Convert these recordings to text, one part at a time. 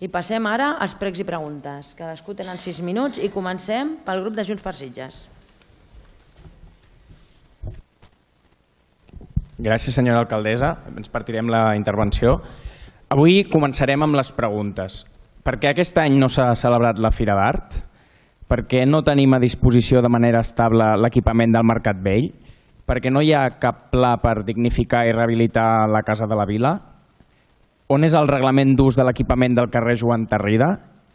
I passem ara als pregs i preguntes. Cadascú tenen 6 minuts i comencem pel grup de Junts per Sitges. Gràcies, senyora alcaldessa. Ens partirem la intervenció. Avui començarem amb les preguntes. Per què aquest any no s'ha celebrat la Fira d'Art? Per què no tenim a disposició de manera estable l'equipament del Mercat Vell? Per què no hi ha cap pla per dignificar i rehabilitar la Casa de la Vila? On és el reglament d'ús de l'equipament del carrer Joan Tarrida?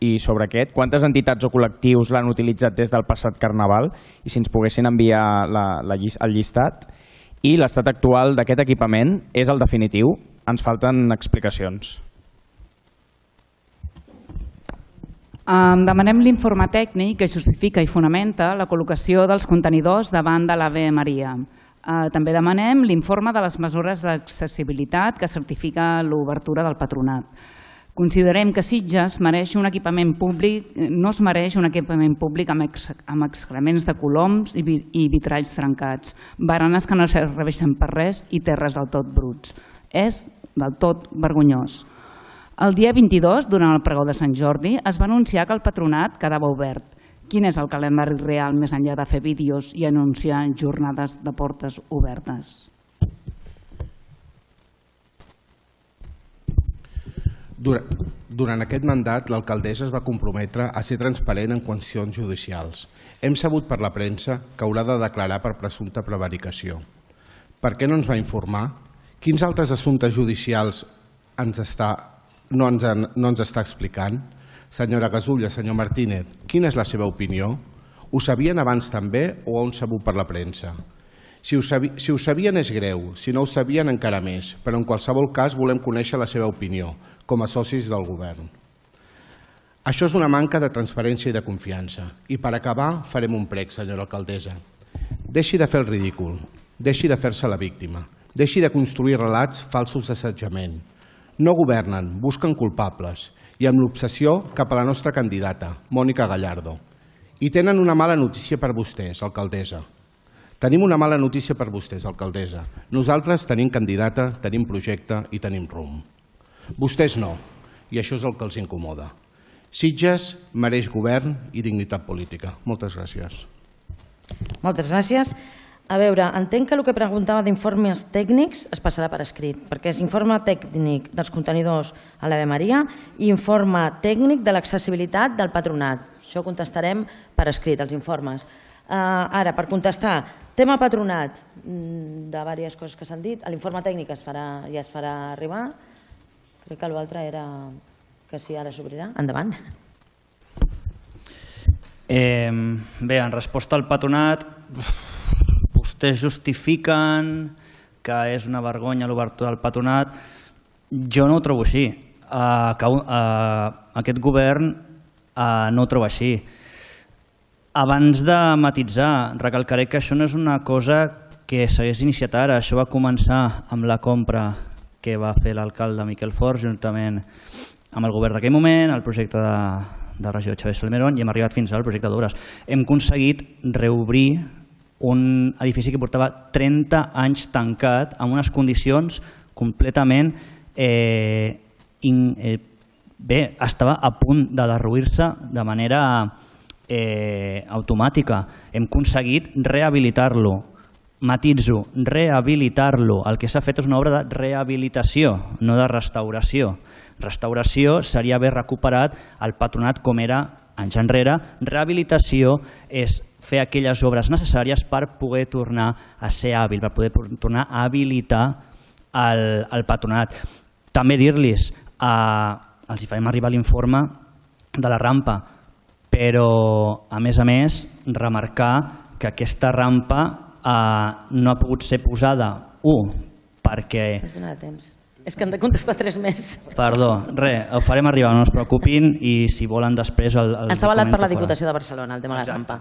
I sobre aquest, quantes entitats o col·lectius l'han utilitzat des del passat Carnaval? I si ens poguessin enviar el llistat. I l'estat actual d'aquest equipament és el definitiu? Ens falten explicacions. Demanem l'informe tècnic que justifica i fonamenta la col·locació dels contenidors davant de l'Ave Maria. També demanem l'informe de les mesures d'accessibilitat que certifica l'obertura del patronat. Considerem que Sitges mereix un equipament públic, no es mereix un equipament públic amb excrements de coloms i vitralls trencats, baranes que no serveixen per res i terres del tot bruts. És del tot vergonyós. El dia 22, durant el pregó de Sant Jordi, es va anunciar que el patronat quedava obert. Quin és el calendari real més enllà de fer vídeos i anunciar jornades de portes obertes? Durant aquest mandat, l'alcaldessa es va comprometre a ser transparent en qüestions judicials. Hem sabut per la premsa que haurà de declarar per presumpta prevaricació. Per què no ens va informar? Quins altres assumptes judicials no ens està explicant? Senyora Gasulla, senyor Martínez, quina és la seva opinió? Ho sabien abans també o ho han sabut per la premsa? Si ho sabien és greu, si no ho sabien encara més, però en qualsevol cas volem conèixer la seva opinió, com a socis del govern. Això és una manca de transparència i de confiança. I per acabar farem un prec, senyora alcaldessa. Deixi de fer el ridícul, deixi de fer-se la víctima, deixi de construir relats falsos d'assetjament. No governen, busquen culpables i amb l'obsessió cap a la nostra candidata, Mònica Gallardo. I tenen una mala notícia per vostès, alcaldessa. Tenim una mala notícia per vostès, alcaldessa. Nosaltres tenim candidata, tenim projecte i tenim rumb. Vostès no, i això és el que els incomoda. Sitges mereix govern i dignitat política. Moltes gràcies. Moltes gràcies. A veure, entenc que el que preguntava d'informes tècnics es passarà per escrit, perquè és informe tècnic dels contenidors a l'Ave Maria i informe tècnic de l'accessibilitat del patronat. Això contestarem per escrit, els informes. Ara, per contestar, tema patronat, de diverses coses que s'han dit, l'informe tècnic ja es farà arribar. Crec que l'altre era que si ara s'obrirà. Endavant. Bé, en resposta al patronat, vostès justifiquen que és una vergonya l'obertura del patronat. Jo no ho trobo així. Aquest govern no ho troba així. Abans de matisar, recalcaré que això no és una cosa que s'hagués iniciat ara. Això va començar amb la compra que va fer l'alcalde Miquel Fort juntament amb el govern d'aquell moment, el projecte de regió de Xavier Salmerón, i hem arribat fins al projecte d'obres. Hem aconseguit reobrir un edifici que portava 30 anys tancat amb unes condicions completament bé, estava a punt de derruir-se de manera automàtica. Hem aconseguit rehabilitar-lo. Matitzo, rehabilitar-lo. El que s'ha fet és una obra de rehabilitació, no de restauració. Restauració seria haver recuperat el patronat com era anys enrere. Rehabilitació és fer aquelles obres necessàries per poder tornar a ser hàbil, per poder tornar a habilitar el patronat. També dir-los, els hi farem arribar l'informe de la rampa, però a més, remarcar que aquesta rampa no ha pogut ser posada, perquè... És que han de contestar 3 més. Perdó, res, ho farem arribar, no es preocupin, i si volen després... Està avalat per la Diputació de Barcelona, el tema de la rampa.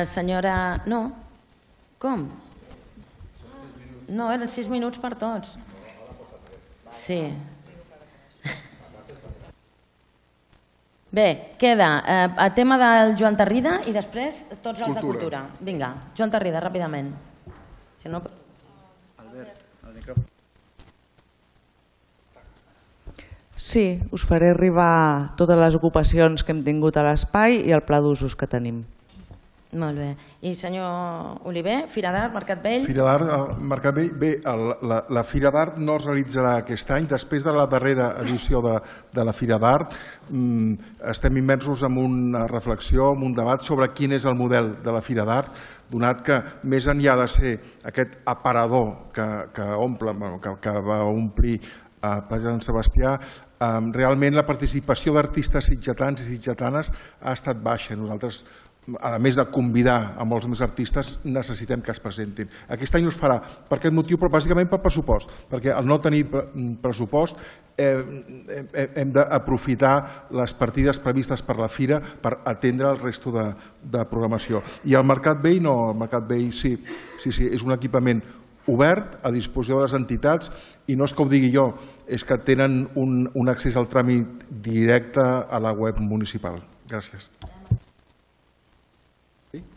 Senyora... No? Com? No, eren 6 minuts per tots. Sí. Bé, queda el tema del Joan Tarrida i després tots els de Cultura. Vinga, Joan Tarrida, ràpidament. Sí, us faré arribar totes les ocupacions que hem tingut a l'espai i el pla d'usos que tenim. Molt bé. I senyor Oliver, Fira d'Art, Mercat Vell? Fira d'Art, Mercat Vell. Bé, la Fira d'Art no es realitzarà aquest any. Després de la darrera edició de la Fira d'Art, estem immersos en una reflexió, en un debat sobre quin és el model de la Fira d'Art, donat que més enllà de ser aquest aparador que va omplir a Plaça Sant Sebastià, realment la participació d'artistes sitgetans i sitgetanes ha estat baixa. Nosaltres, a més de convidar a molts més artistes, necessitem que es presentin. Aquest any no es farà per aquest motiu, però bàsicament per pressupost, perquè al no tenir pressupost hem d'aprofitar les partides previstes per la Fira per atendre el resto de programació. I el Mercat Vell no, el Mercat Vell sí, és un equipament obert a disposició de les entitats i no és que ho digui jo, és que tenen un accés al tràmit directe a la web municipal. Gràcies.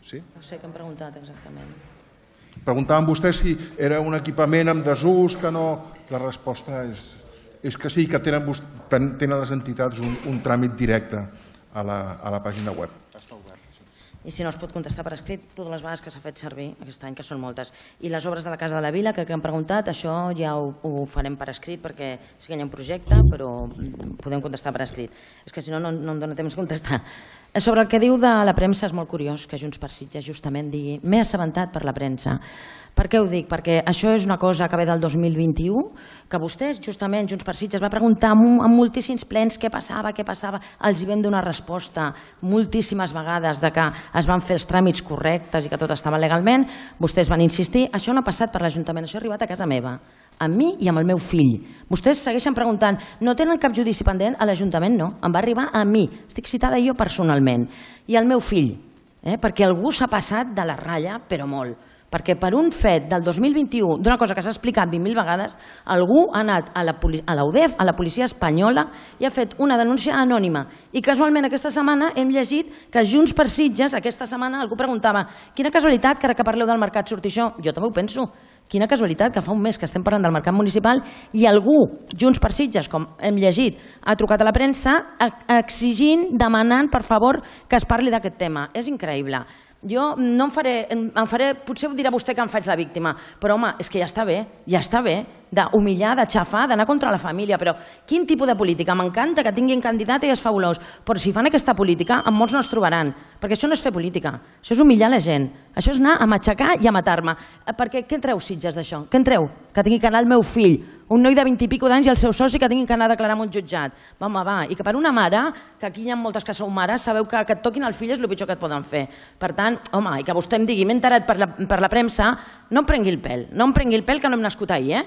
Sí? No sé què hem preguntat exactament. Preguntaven vostès si era un equipament amb desús, que no... La resposta és que sí, que tenen les entitats un tràmit directe a la pàgina web. Està obert. I si no es pot contestar per escrit, totes les vegades que s'ha fet servir aquest any, que són moltes. I les obres de la Casa de la Vila, que han preguntat, això ja ho farem per escrit, perquè sí que hi ha un projecte, però podem contestar per escrit. És que si no, no em dóna temps de contestar. Sobre el que diu de la premsa, és molt curiós que Junts per Sitges justament digui m'he assabentat per la premsa. Per què ho dic? Perquè això és una cosa que ve del 2021, que vostès, justament, Junts per Sitges, va preguntar en moltíssims plens què passava, els hi vam donar resposta moltíssimes vegades de que es van fer els tràmits correctes i que tot estava legalment, vostès van insistir, això no ha passat per l'Ajuntament, això ha arribat a casa meva, amb mi i amb el meu fill. Vostès segueixen preguntant, no tenen cap judici pendent? A l'Ajuntament no, em va arribar a mi, estic citada jo personalment, i al meu fill, perquè algú s'ha passat de la ratlla, però molt. Perquè per un fet del 2021, d'una cosa que s'ha explicat 20.000 vegades, algú ha anat a la UDEF, a la policia espanyola, i ha fet una denúncia anònima. I casualment aquesta setmana hem llegit que Junts per Sitges, aquesta setmana algú preguntava quina casualitat que ara que parleu del mercat surti això. Jo també ho penso. Quina casualitat que fa un mes que estem parlant del mercat municipal i algú, Junts per Sitges, com hem llegit, ha trucat a la premsa exigint, demanant, per favor, que es parli d'aquest tema. És increïble. Jo no em faré, potser ho dirà vostè que em faig la víctima, però home, és que ja està bé d'humillar, de xafar, d'anar contra la família, però quin tipus de política? M'encanta que tinguin candidat i és fabulós, però si fan aquesta política, amb molts no es trobaran, perquè això no és fer política, això és humillar la gent, això és anar a matxacar i a matar-me, perquè què en treu Sitges d'això? Què en treu? Que tingui que anar el meu fill, un noi de 20 i pico d'anys i el seu soci que tinguin que anar a declarar en un jutjat. Va, i que per una mare, que aquí hi ha moltes que sou mares, sabeu que et toquin el fill és el pitjor que et poden fer. Per tant, home, i que vostè em digui, m'he enterat per la premsa, no em prengui el pèl, que no hem nascut ahir,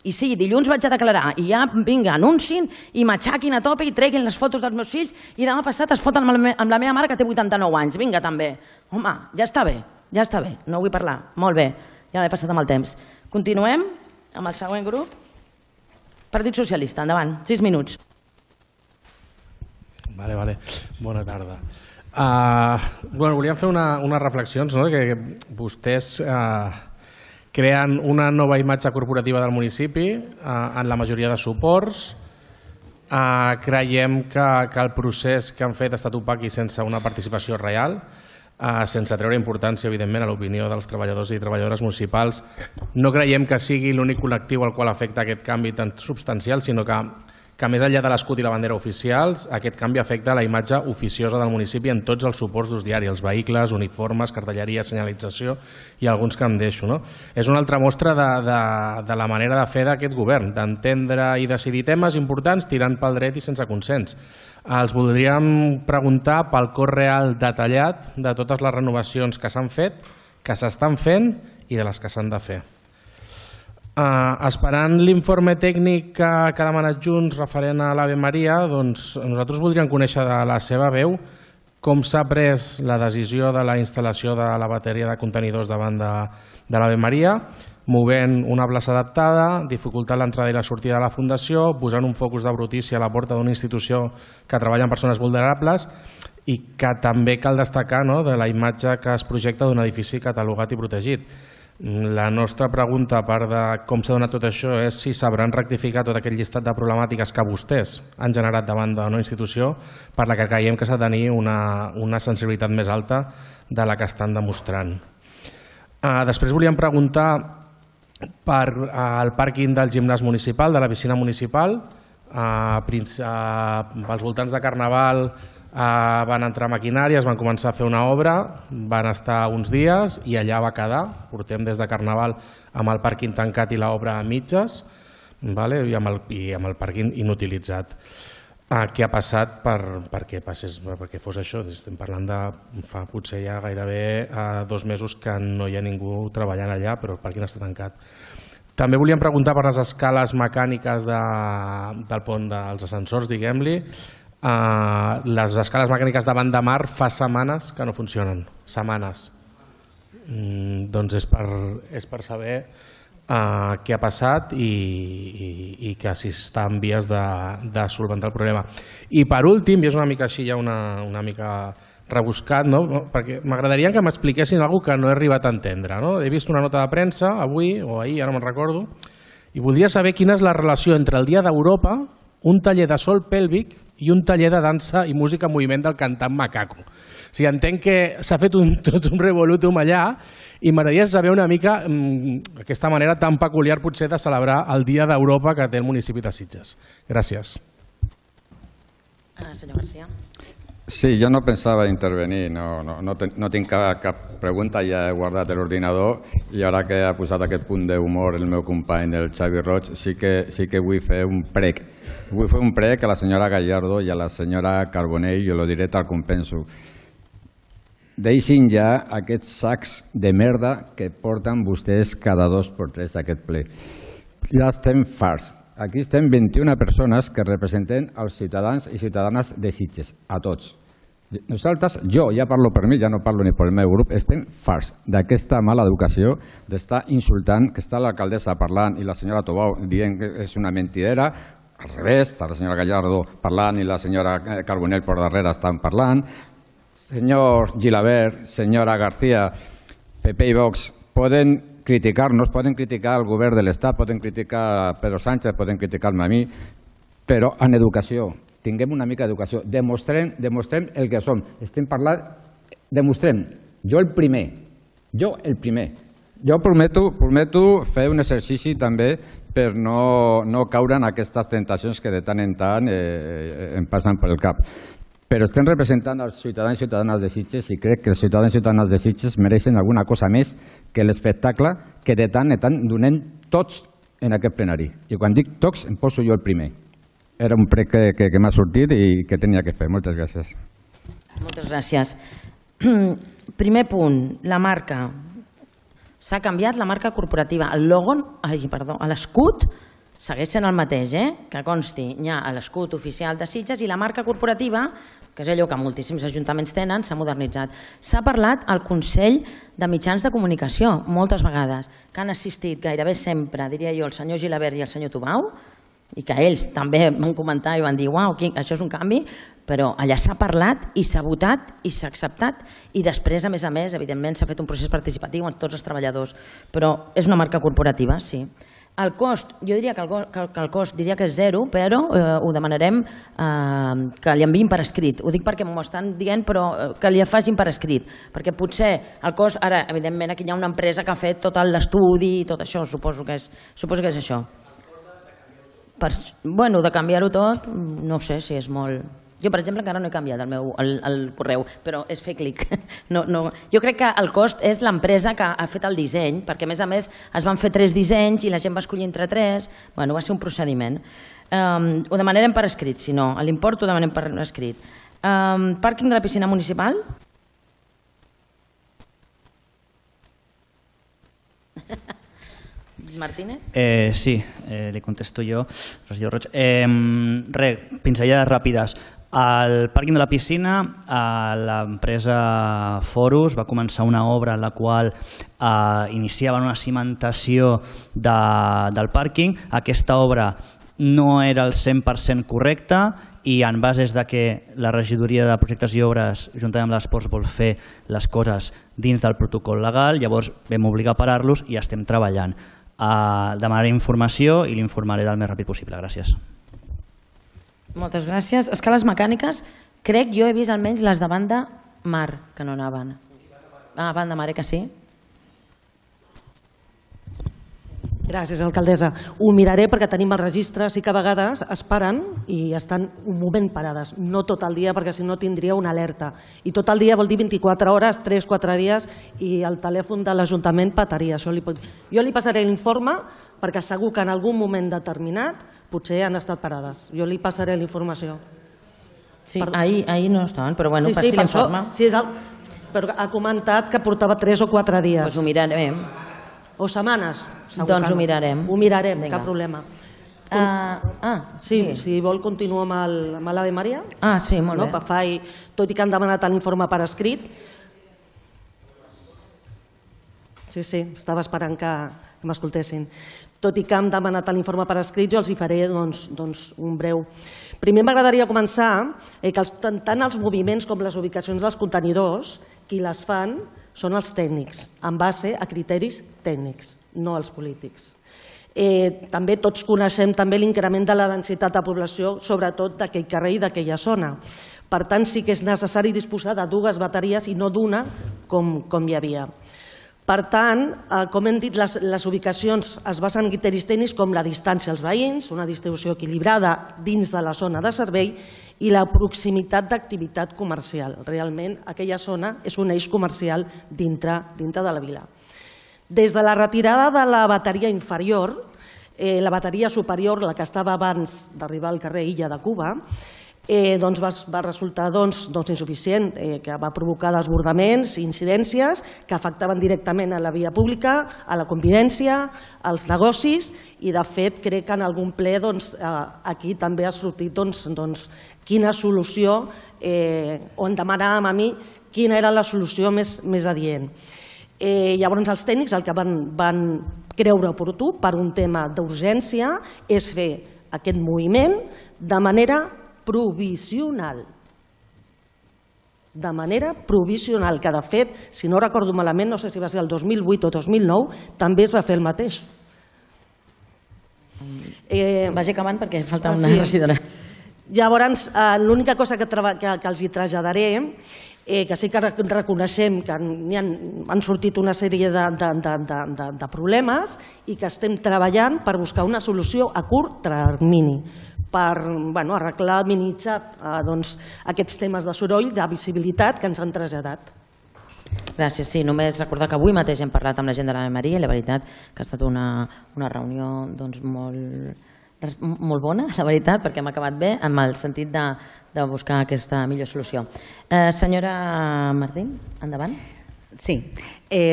I sí, dilluns vaig a declarar i ja, vinga, anuncin i m'aixaquin a tope i treguin les fotos dels meus fills i demà passat es foten amb la meva mare que té 89 anys. Vinga, també. Home, ja està bé, no vull parlar. Molt bé, ja l'he passat amb el temps. Continuem amb el següent grup. Partit Socialista, endavant, 6 minuts. Vale. Bona tarda. Volíem fer unes reflexions, que vostès creen una nova imatge corporativa del municipi en la majoria de suports. Creiem que el procés que han fet ha estat opac i sense una participació real, sense treure importància, evidentment, a l'opinió dels treballadors i treballadores municipals. No creiem que sigui l'únic col·lectiu al qual afecta aquest canvi tan substancial, sinó que més enllà de l'escut i la bandera oficials, aquest canvi afecta la imatge oficiosa del municipi en tots els suports d'ús diari, els vehicles, uniformes, cartelleria, senyalització i alguns que em deixo. És una altra mostra de la manera de fer d'aquest govern, d'entendre i decidir temes importants tirant pel dret i sense consens. Els voldríem preguntar pel cost real detallat de totes les renovacions que s'han fet, que s'estan fent i de les que s'han de fer. Esperant l'informe tècnic que ha demanat Junts referent a l'Ave Maria, doncs nosaltres voldríem conèixer de la seva veu com s'ha pres la decisió de la instal·lació de la bateria de contenidors davant de l'Ave Maria, movent una plaça adaptada, dificultant l'entrada i la sortida de la Fundació, posant un focus de brutícia a la porta d'una institució que treballa amb persones vulnerables i que també cal destacar de la imatge que es projecta d'un edifici catalogat i protegit. La nostra pregunta, a part de com s'ha donat tot això, és si sabran rectificar tot aquell llistat de problemàtiques que vostès han generat davant d'una institució per la que creiem que s'ha de tenir una sensibilitat més alta de la que estan demostrant. Després volíem preguntar per al pàrquing del gimnàs municipal, de la piscina municipal. Pels voltants de Carnaval van entrar maquinàries, van començar a fer una obra, van estar uns dies i allà va quedar. Portem des de Carnaval amb el pàrquing tancat i l'obra a mitges i amb el pàrquing inutilitzat. Què ha passat perquè fos això? Estem parlant de fa potser ja gairebé 2 mesos que no hi ha ningú treballant allà, però el pàrquing està tancat. També volíem preguntar per les escales mecàniques del pont dels ascensors, diguem-li. Les escales mecàniques davant de mar fa setmanes que no funcionen, setmanes. Doncs és per saber què ha passat i que si està en vies de solventar el problema. I per últim, i és una mica així ja una mica rebuscat, perquè m'agradaria que m'expliquessin alguna cosa que no he arribat a entendre. He vist una nota de premsa avui o ahir, ara no me'n recordo, i voldria saber quina és la relació entre el Dia d'Europa, un taller de sol pèlvic i un taller de dansa i música en moviment del cantant Macaco. O sigui, entenc que s'ha fet tot un revolútum allà i m'agradaria saber una mica aquesta manera tan peculiar potser de celebrar el Dia d'Europa que té el municipi de Sitges. Gràcies. Senyor García. Sí, jo no pensava intervenir, no tinc cap pregunta, ja he guardat l'ordinador i ara que ha posat aquest punt d'humor el meu company, el Xavi Roig, sí que vull fer un prec. Vull fer un prec a la senyora Gallardo i a la senyora Carbonell, jo ho diré tal com penso. Deixin ja aquests sacs de merda que porten vostès cada 2 per 3 a aquest ple. Ja estem farts. Aquí estem 21 persones que representen els ciutadans i ciutadanes de Sitges, a tots. Nosaltres, jo ja parlo per mi, ja no parlo ni pel meu grup, estem farts d'aquesta mala educació, d'estar insultant, que està l'alcaldessa parlant i la senyora Tobau dient que és una mentidera, al revés, està la senyora Gallardo parlant i la senyora Carbonell per darrere estan parlant. Senyor Gilabert, senyora García, PP i Vox poden criticar-nos, poden criticar el govern de l'Estat, poden criticar a Pedro Sánchez, poden criticar-me a mi, però en educació, tinguem una mica d'educació, demostrem el que som. Estem parlant, demostrem, jo el primer. Jo prometo fer un exercici també per no caure en aquestes tentacions que de tant en tant em passen pel cap. Però estem representant els ciutadans i ciutadanes de Sitges i crec que els ciutadans i ciutadanes de Sitges mereixen alguna cosa més que l'espectacle que de tant en tant donem tots en aquest plenari. I quan dic tots em poso jo el primer. Era un prec que m'ha sortit i que tenia que fer. Moltes gràcies. Moltes gràcies. Primer punt, la marca. S'ha canviat la marca corporativa. El logo, l'escut segueix sent el mateix, que consti, hi ha l'escut oficial de Sitges i la marca corporativa, que és allò que moltíssims ajuntaments tenen, s'ha modernitzat. S'ha parlat al Consell de Mitjans de Comunicació, moltes vegades, que han assistit gairebé sempre, diria jo, el senyor Gilabert i el senyor Tobau, i que ells també van comentar i van dir uau, això és un canvi, però allà s'ha parlat i s'ha votat i s'ha acceptat i després, a més, evidentment s'ha fet un procés participatiu amb tots els treballadors, però és una marca corporativa, sí. El cost, jo diria que el cost diria que és 0, però ho demanarem que li enviïn per escrit. Ho dic perquè m'ho estan dient, però que li facin per escrit, perquè potser el cost, ara, evidentment, aquí hi ha una empresa que ha fet tot l'estudi i tot això, suposo que és això. Bueno, de canviar-ho tot, no sé si és molt... Jo, per exemple, encara no he canviat el correu, però és fer clic. Jo crec que el cost és l'empresa que ha fet el disseny, perquè a més es van fer 3 dissenys i la gent va escollir entre 3. Va ser un procediment. Ho demanarem per escrit, si no. L'import ho demanem per escrit. Pàrquing de la piscina municipal? Martínez? Sí, li contesto jo. Regidor Roig. Pinzellades ràpides. Al pàrquing de la piscina, l'empresa Forus va començar una obra en la qual iniciaven una cimentació del pàrquing. Aquesta obra no era el 100% correcte i en bases de que la regidoria de projectes i obres juntament amb l'Esports vol fer les coses dins del protocol legal, llavors vam obligar a parar-los i estem treballant. Demanaré informació i l'informaré el més ràpid possible. Gràcies. Moltes gràcies. Escales mecàniques, crec jo he vist almenys les de banda mar, que no anaven. Banda mar, que sí? Gràcies, alcaldessa. Ho miraré perquè tenim els registres i que a vegades es paren i estan un moment parades. No tot el dia, perquè si no tindria una alerta. I tot el dia vol dir 24 hores, 3-4 dies, i el telèfon de l'Ajuntament petaria. Jo li passaré l'informe perquè segur que en algun moment determinat potser han estat parades. Jo li passaré la informació. Sí, ahir no estaven, però bueno, passi l'informe. Però ha comentat que portava 3 o 4 dies. Doncs ho mirarem. O setmanes. Doncs ho mirarem. Ho mirarem, cap problema. Sí, si vol continuo amb l'Ave Maria. Sí, molt bé. Tot i que han demanat l'informe per escrit. Sí, estava esperant que m'escoltessin. Tot i que han demanat l'informe per escrit, jo els hi faré un breu. Primer m'agradaria començar que tant els moviments com les ubicacions dels contenidors, qui les fan són els tècnics, en base a criteris tècnics, no els polítics. També tots coneixem també l'increment de la densitat de població, sobretot d'aquell carrer i d'aquella zona. Per tant, sí que és necessari disposar de 2 bateries i no d'una com hi havia. Per tant, com hem dit, les ubicacions es basen en criteris tècnics com la distància als veïns, una distribució equilibrada dins de la zona de servei i la proximitat d'activitat comercial. Realment, aquella zona és un eix comercial dintre de la vila. Des de la retirada de la bateria inferior, la bateria superior, la que estava abans d'arribar al carrer Illa de Cuba, va resultar insuficient, que va provocar desbordaments i incidències que afectaven directament a la via pública, a la convivència, als negocis i, de fet, crec que en algun ple aquí també ha sortit quina solució, o em demanàvem a mi quina era la solució més adient. Llavors els tècnics el que van creure oportú per un tema d'urgència és fer aquest moviment de manera provisional. De manera provisional, que de fet, si no recordo malament, no sé si va ser el 2008 o 2009, també es va fer el mateix. Vagi acabant perquè falta una regidora. Llavors, l'única cosa que els hi traslladaré, que sí que reconeixem que han sortit una sèrie de problemes i que estem treballant per buscar una solució a curt termini, per arreglar, minimitzar aquests temes de soroll, de visibilitat que ens han traslladat. Gràcies. Sí, només recordar que avui mateix hem parlat amb la gent de l'Ave Maria i la veritat que ha estat una reunió molt bona, la veritat, perquè hem acabat bé amb el sentit de buscar aquesta millor solució. Senyora Martín, endavant. Sí,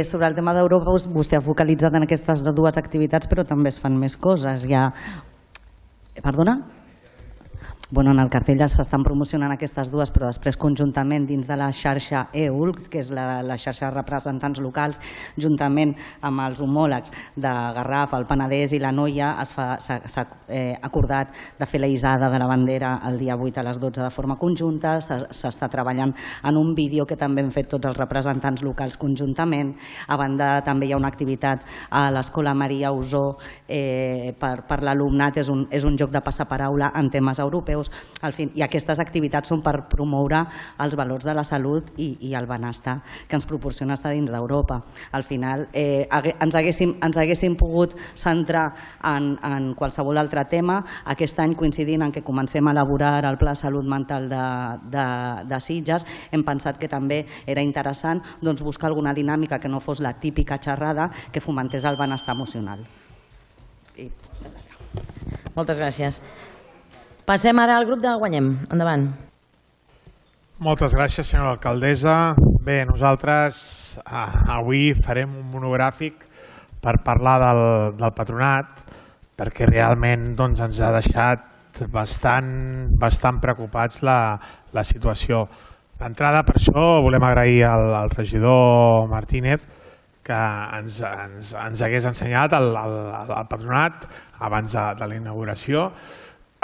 sobre el tema d'Europa vostè ha focalitzat en aquestes 2 activitats, però també es fan més coses. Perdona? En el cartell s'estan promocionant aquestes 2, però després conjuntament dins de la xarxa EULC, que és la xarxa de representants locals, juntament amb els homòlegs de Garraf, el Penedès i la Noia, s'ha acordat de fer la hissada de la bandera el dia 8 a les 12 de forma conjunta. S'està treballant en un vídeo que també hem fet tots els representants locals conjuntament. A banda, també hi ha una activitat a l'Escola Maria Usó per l'alumnat, és un joc de passaparaula en temes europeus. I aquestes activitats són per promoure els valors de la salut i el benestar que ens proporciona estar dins d'Europa. Al final ens haguéssim pogut centrar en qualsevol altre tema. Aquest any, coincidint en què comencem a elaborar el Pla de Salut Mental de Sitges, hem pensat que també era interessant buscar alguna dinàmica que no fos la típica xerrada, que fomentés el benestar emocional. Moltes gràcies. Passem ara al grup de Guanyem. Endavant. Moltes gràcies, senyora alcaldessa. Bé, nosaltres avui farem un monogràfic per parlar del patronat, perquè realment ens ha deixat bastant preocupats la situació. D'entrada, per això volem agrair al regidor Martínez que ens hagués ensenyat el patronat abans de la inauguració.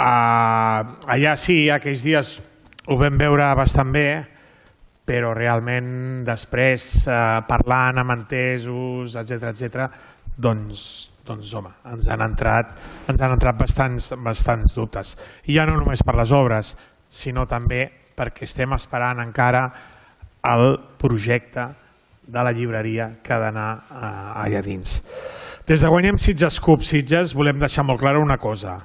Allà sí, aquells dies ho vam veure bastant bé, però realment després, parlant amb entesos, etc., doncs home, ens han entrat bastants dubtes. I ja no només per les obres, sinó també perquè estem esperant encara el projecte de la llibreria que ha d'anar allà dins. Des de Guanyem Sitges CUP Sitges volem deixar molt clara una cosa.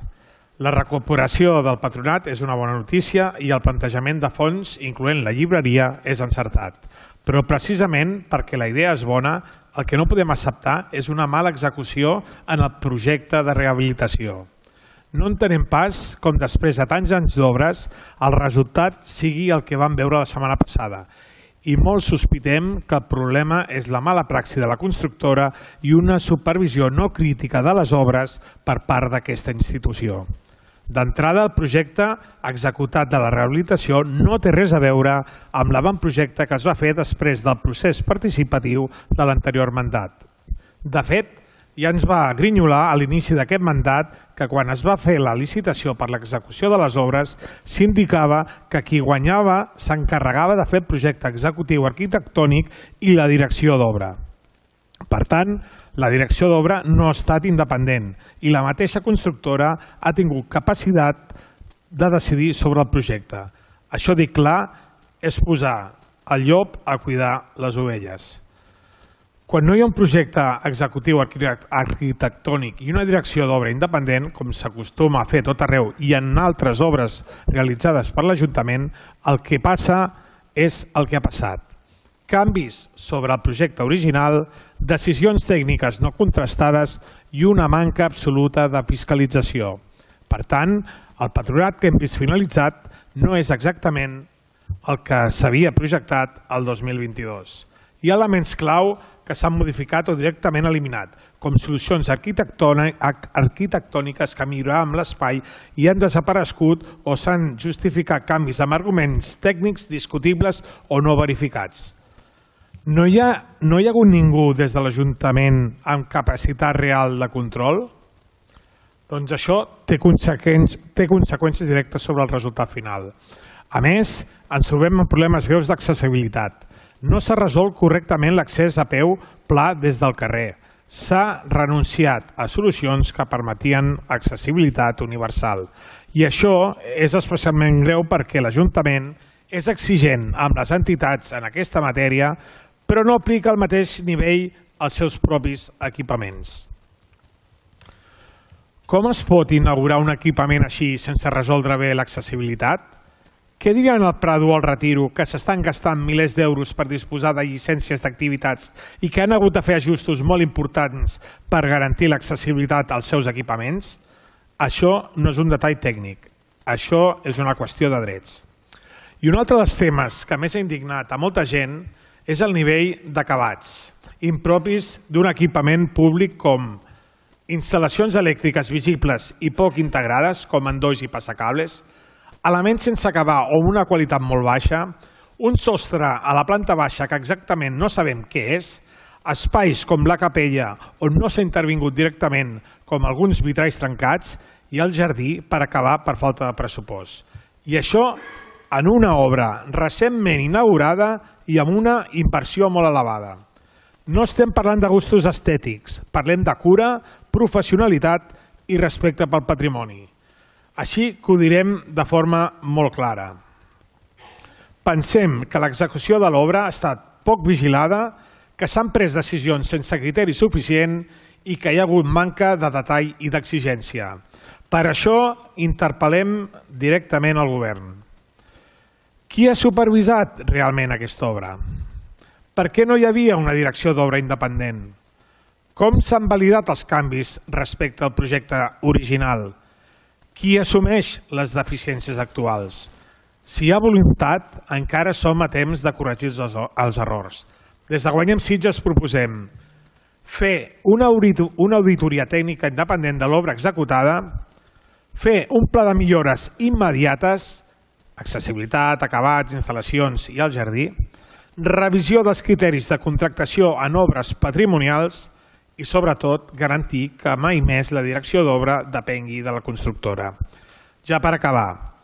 La recuperació del patronat és una bona notícia i el plantejament de fons, incloent la llibreria, és encertat. Però precisament perquè la idea és bona, el que no podem acceptar és una mala execució en el projecte de rehabilitació. No entenem pas com després de tants anys d'obres el resultat sigui el que vam veure la setmana passada. I molt sospitem que el problema és la mala praxi de la constructora i una supervisió no crítica de les obres per part d'aquesta institució. D'entrada, el projecte executat de la rehabilitació no té res a veure amb l'avantprojecte que es va fer després del procés participatiu de l'anterior mandat. De fet, ja ens va grinyolar a l'inici d'aquest mandat que quan es va fer la licitació per l'execució de les obres s'indicava que qui guanyava s'encarregava de fer el projecte executiu arquitectònic i la direcció d'obra. Per tant, la direcció d'obra no ha estat independent i la mateixa constructora ha tingut capacitat de decidir sobre el projecte. Això, dic clar, és posar el llop a cuidar les ovelles. Quan no hi ha un projecte executiu arquitectònic i una direcció d'obra independent, com s'acostuma a fer tot arreu i en altres obres realitzades per l'Ajuntament, el que passa és el que ha passat. Canvis sobre el projecte original, decisions tècniques no contrastades i una manca absoluta de fiscalització. Per tant, el patronat que hem vist finalitzat no és exactament el que s'havia projectat el 2022. Hi ha elements clau que s'han modificat o directament eliminat, com solucions arquitectòniques que milloraven l'espai i han desaparegut o s'han justificat canvis amb arguments tècnics discutibles o no verificats. No hi ha hagut ningú des de l'Ajuntament amb capacitat real de control? Doncs això té conseqüències directes sobre el resultat final. A més, ens trobem amb problemes greus d'accessibilitat. No s'ha resolt correctament l'accés a peu pla des del carrer. S'ha renunciat a solucions que permetien accessibilitat universal. I això és especialment greu perquè l'Ajuntament és exigent amb les entitats en aquesta matèria, però no aplica al mateix nivell als seus propis equipaments. Com es pot inaugurar un equipament així sense resoldre bé l'accessibilitat? Què diran al Prado o al Retiro, que s'estan gastant milers d'euros per disposar de llicències d'activitats i que han hagut de fer ajustos molt importants per garantir l'accessibilitat als seus equipaments? Això no és un detall tècnic, això és una qüestió de drets. I un altre dels temes que més ha indignat a molta gent és el nivell d'acabats, impropis d'un equipament públic com instal·lacions elèctriques visibles i poc integrades, com endolls i passacables, elements sense acabar o amb una qualitat molt baixa, un sostre a la planta baixa que exactament no sabem què és, espais com la capella on no s'ha intervingut directament, com alguns vitralls trencats, i el jardí per acabar per falta de pressupost. I això en una obra recentment inaugurada i amb una inversió molt elevada. No estem parlant de gustos estètics, parlem de cura, professionalitat i respecte pel patrimoni. Així que ho direm de forma molt clara. Pensem que l'execució de l'obra ha estat poc vigilada, que s'han pres decisions sense criteri suficient i que hi ha hagut manca de detall i d'exigència. Per això interpel·lem directament al govern. Qui ha supervisat realment aquesta obra? Per què no hi havia una direcció d'obra independent? Com s'han validat els canvis respecte al projecte original? Qui assumeix les deficiències actuals? Si hi ha voluntat, encara som a temps de corregir els errors. Des de Guanyem Sitges proposem fer una auditoria tècnica independent de l'obra executada, fer un pla de millores immediates, accessibilitat, acabats, instal·lacions i el jardí, revisió dels criteris de contractació en obres patrimonials i, sobretot, garantir que mai més la direcció d'obra depengui de la constructora. Ja per acabar,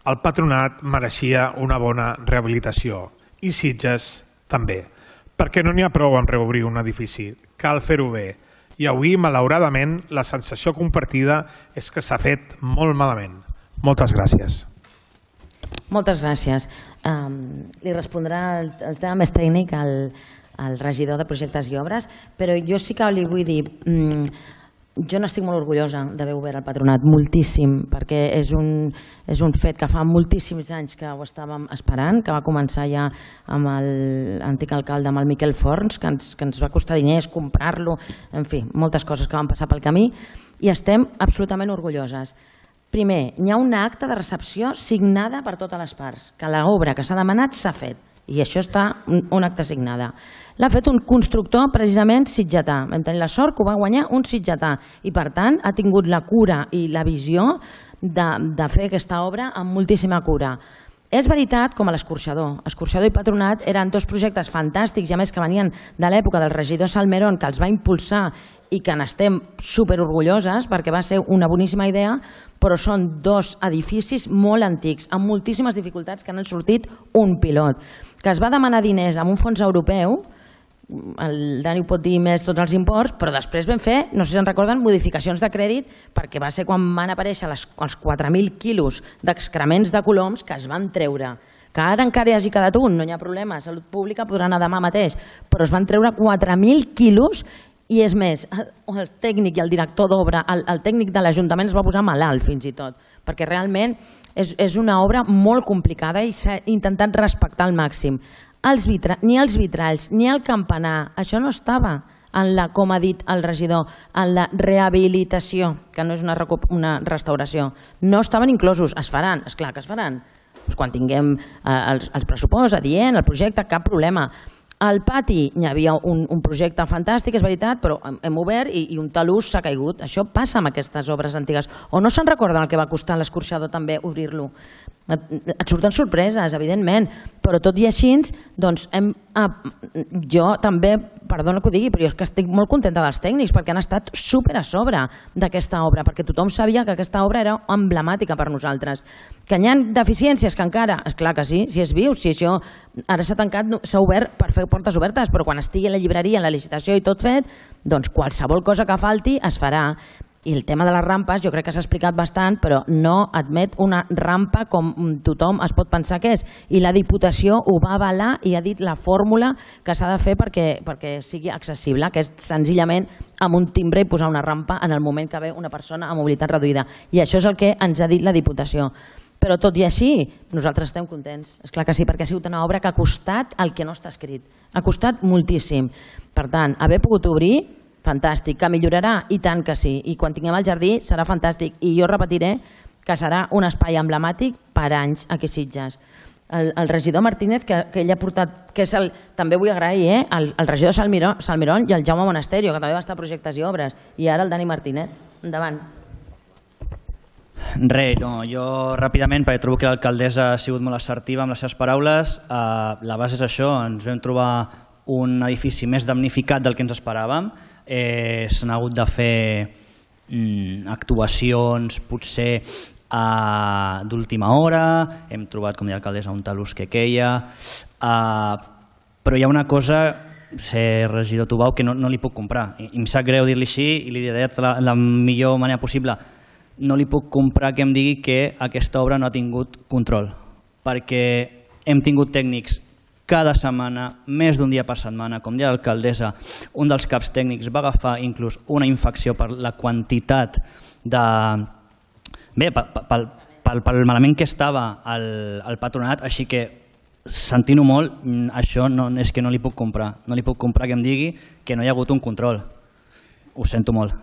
el patronat mereixia una bona rehabilitació i Sitges també, perquè no n'hi ha prou en reobrir un edifici, cal fer-ho bé. I avui, malauradament, la sensació compartida és que s'ha fet molt malament. Moltes gràcies. Moltes gràcies. Li respondrà el tema més tècnic al regidor de projectes i obres, però jo sí que li vull dir, jo n'estic molt orgullosa d'haver obert el patronat, moltíssim, perquè és un fet que fa moltíssims anys que ho estàvem esperant, que va començar ja amb l'antic alcalde, amb el Miquel Forns, que ens va costar diners comprar-lo, en fi, moltes coses que van passar pel camí, i estem absolutament orgulloses. Primer, hi ha una acta de recepció signada per totes les parts, que l'obra que s'ha demanat s'ha fet, i això està una acta signada. L'ha fet un constructor precisament sitgetà. Vam tenir la sort que ho va guanyar un sitgetà i, per tant, ha tingut la cura i la visió de fer aquesta obra amb moltíssima cura. És veritat, com a l'Escorxador. Escorxador i Patronat eren dos projectes fantàstics, i a més que venien de l'època del regidor Salmerón, que els va impulsar i que n'estem superorgulloses perquè va ser una boníssima idea, però són dos edificis molt antics, amb moltíssimes dificultats, que han sortit un pilot, que es va demanar diners amb un fons europeu, el Dani ho pot dir més tots els imports, però després vam fer, no sé si se'n recorden, modificacions de crèdit, perquè va ser quan van aparèixer els 4.000 quilos d'excrements de coloms que es van treure. Que ara encara hi hagi quedat un, no hi ha problema, Salut Pública podrà anar demà mateix, però es van treure 4.000 quilos. I és més, el tècnic i el director d'obra, el tècnic de l'Ajuntament es va posar malalt fins i tot, perquè realment és una obra molt complicada i s'ha intentat respectar al màxim. Ni els vitralls, ni el campanar, això no estava, com ha dit el regidor, en la rehabilitació, que no és una restauració. No estaven inclosos, es faran, esclar que es faran. Quan tinguem els pressupost adient, el projecte, cap problema. Al pati hi havia un projecte fantàstic, és veritat, però hem obert i un talús s'ha caigut. Això passa amb aquestes obres antigues. O no se'n recorden el que va costar a l'Escorxador també obrir-lo? Et surten sorpreses, evidentment, però tot i així, doncs jo també, perdona que ho digui, però jo és que estic molt contenta dels tècnics perquè han estat super a sobre d'aquesta obra, perquè tothom sabia que aquesta obra era emblemàtica per nosaltres. Que hi ha deficiències que encara, és clar que sí, si és viu, si això ara s'ha tancat, s'ha obert per fer portes obertes, però quan estigui a la llibreria, en la licitació i tot fet, doncs qualsevol cosa que falti es farà. I el tema de les rampes jo crec que s'ha explicat bastant, però no admet una rampa com tothom es pot pensar que és. I la Diputació ho va avalar i ha dit la fórmula que s'ha de fer perquè sigui accessible, que és senzillament amb un timbre i posar una rampa en el moment que ve una persona amb mobilitat reduïda. I això és el que ens ha dit la Diputació. Però tot i així, nosaltres estem contents. És clar que sí, perquè ha sigut una obra que ha costat el que no està escrit. Ha costat moltíssim. Per tant, haver pogut obrir, fantàstic. Que millorarà? I tant que sí. I quan tinguem el jardí serà fantàstic. I jo repetiré que serà un espai emblemàtic per anys aquí a Sitges. El regidor Martínez, que ell ha portat, que és també vull agrair, el regidor Salmerón i el Jaume Monasterio, que també va estar a projectes i obres, i ara el Dani Martínez. Endavant. Res, no, jo ràpidament, perquè trobo que l'alcaldessa ha sigut molt assertiva amb les seves paraules. La base és això, ens vam trobar un edifici més damnificat del que ens esperàvem. S'han hagut de fer actuacions potser d'última hora, hem trobat, com deia l'alcaldessa, un talús que queia, però hi ha una cosa, ser regidor Tubau, que no li puc comprar, i em sap greu dir-li així i li diré de la millor manera possible. No li puc comprar que em digui que aquesta obra no ha tingut control, perquè hem tingut tècnics cada setmana, més d'un dia per setmana, com deia l'alcaldessa, un dels caps tècnics va agafar inclús una infecció per la quantitat de... Bé, pel malament que estava el patronat, així que sentint-ho molt, això és que no li puc comprar. No li puc comprar que em digui que no hi ha hagut un control. Ho sento molt.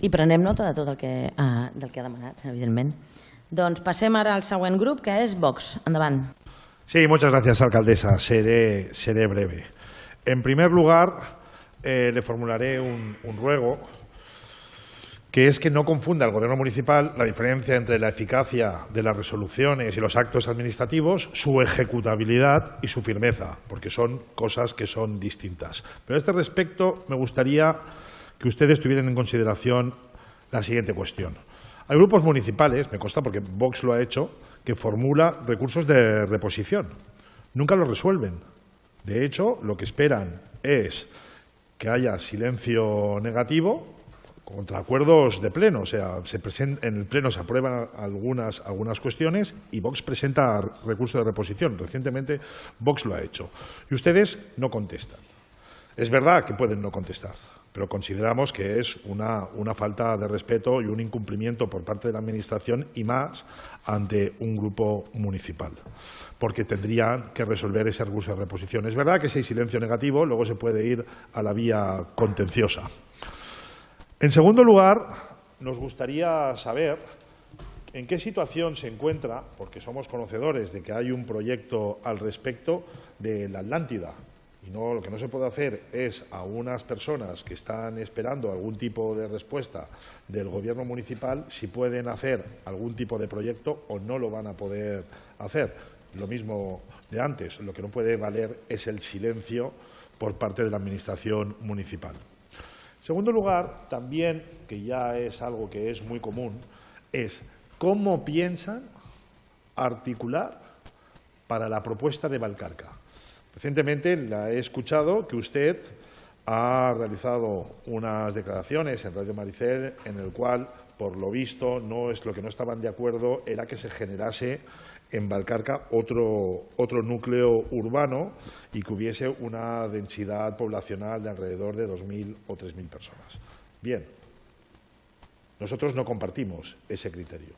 I prenem nota de tot del que ha demanat, evidentment. Doncs passem ara al següent grup, que és Vox. Endavant. Sí, muchas gracias, alcaldesa. Seré breve. En primer lugar, le formularé un ruego que es que no confunda el gobierno municipal la diferencia entre la eficacia de las resoluciones y los actos administrativos, su ejecutabilidad y su firmeza, porque son cosas que son distintas. Pero a este respecto me gustaría que ustedes tuvieran en consideración la siguiente cuestión. Hay grupos municipales, me consta porque Vox lo ha hecho, que formula recursos de reposición. Nunca los resuelven. De hecho, lo que esperan es que haya silencio negativo contra acuerdos de pleno, o sea, en el pleno se aprueban algunas cuestiones y Vox presenta recursos de reposición. Recientemente Vox lo ha hecho. Y ustedes no contestan. Es verdad que pueden no contestar, pero consideramos que es una falta de respeto y un incumplimiento por parte de la Administración y más ante un grupo municipal, porque tendrían que resolver ese recurso de reposición. Es verdad que si hay silencio negativo, luego se puede ir a la vía contenciosa. En segundo lugar, nos gustaría saber en qué situación se encuentra, porque somos conocedores de que hay un proyecto al respecto de la Atlántida, y lo que no se puede hacer es a unas personas que están esperando algún tipo de respuesta del gobierno municipal si pueden hacer algún tipo de proyecto o no lo van a poder hacer. Lo mismo de antes, lo que no puede valer es el silencio por parte de la Administración municipal. En segundo lugar, también, que ya es algo que es muy común, es cómo piensan articular para la propuesta de Valcarca. Recientemente la he escuchado que usted ha realizado unas declaraciones en Radio Maricel en el cual, por lo visto, lo que no estaban de acuerdo era que se generase en Valcarca otro núcleo urbano y que hubiese una densidad poblacional de alrededor de 2.000 o 3.000 personas. Bien, nosotros no compartimos ese criterio,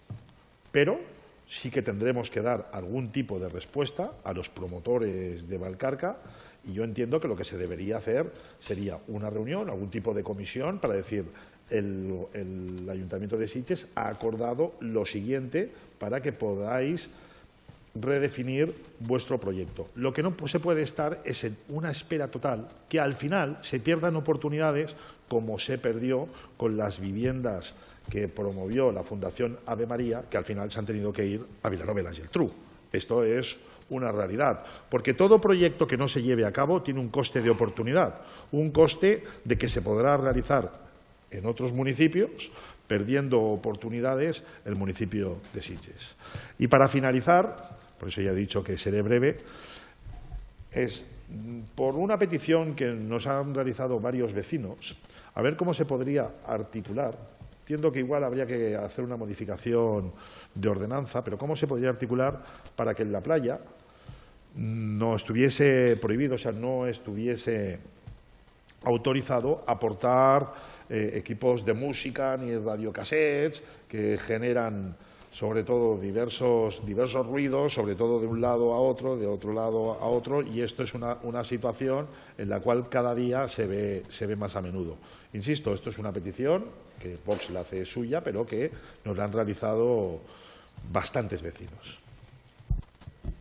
pero sí que tendremos que dar algún tipo de respuesta a los promotores de Valcarca y yo entiendo que lo que se debería hacer sería una reunión, algún tipo de comisión para decir el Ayuntamiento de Sitges ha acordado lo siguiente para que podáis redefinir vuestro proyecto. Lo que no se puede estar es en una espera total, que al final se pierdan oportunidades como se perdió con las viviendas que promovió la Fundación Ave María, que al final se han tenido que ir a Vilanova y la Geltrú. Esto es una realidad, porque todo proyecto que no se lleve a cabo tiene un coste de oportunidad, un coste de que se podrá realizar en otros municipios, perdiendo oportunidades el municipio de Sitges. Y para finalizar, por eso ya he dicho que seré breve, es por una petición que nos han realizado varios vecinos, a ver cómo se podría articular. Entiendo que igual habría que hacer una modificación de ordenanza, pero cómo se podría articular para que en la playa no estuviese prohibido, o sea, no estuviese autorizado aportar equipos de música ni radiocassettes que generan sobre todo diversos ruidos, sobre todo de un lado a otro, de otro lado a otro, y esto es una situación en la cual cada día se ve más a menudo. Insisto, esto es una petición que Vox la hace suya, pero que nos la han realizado bastantes vecinos.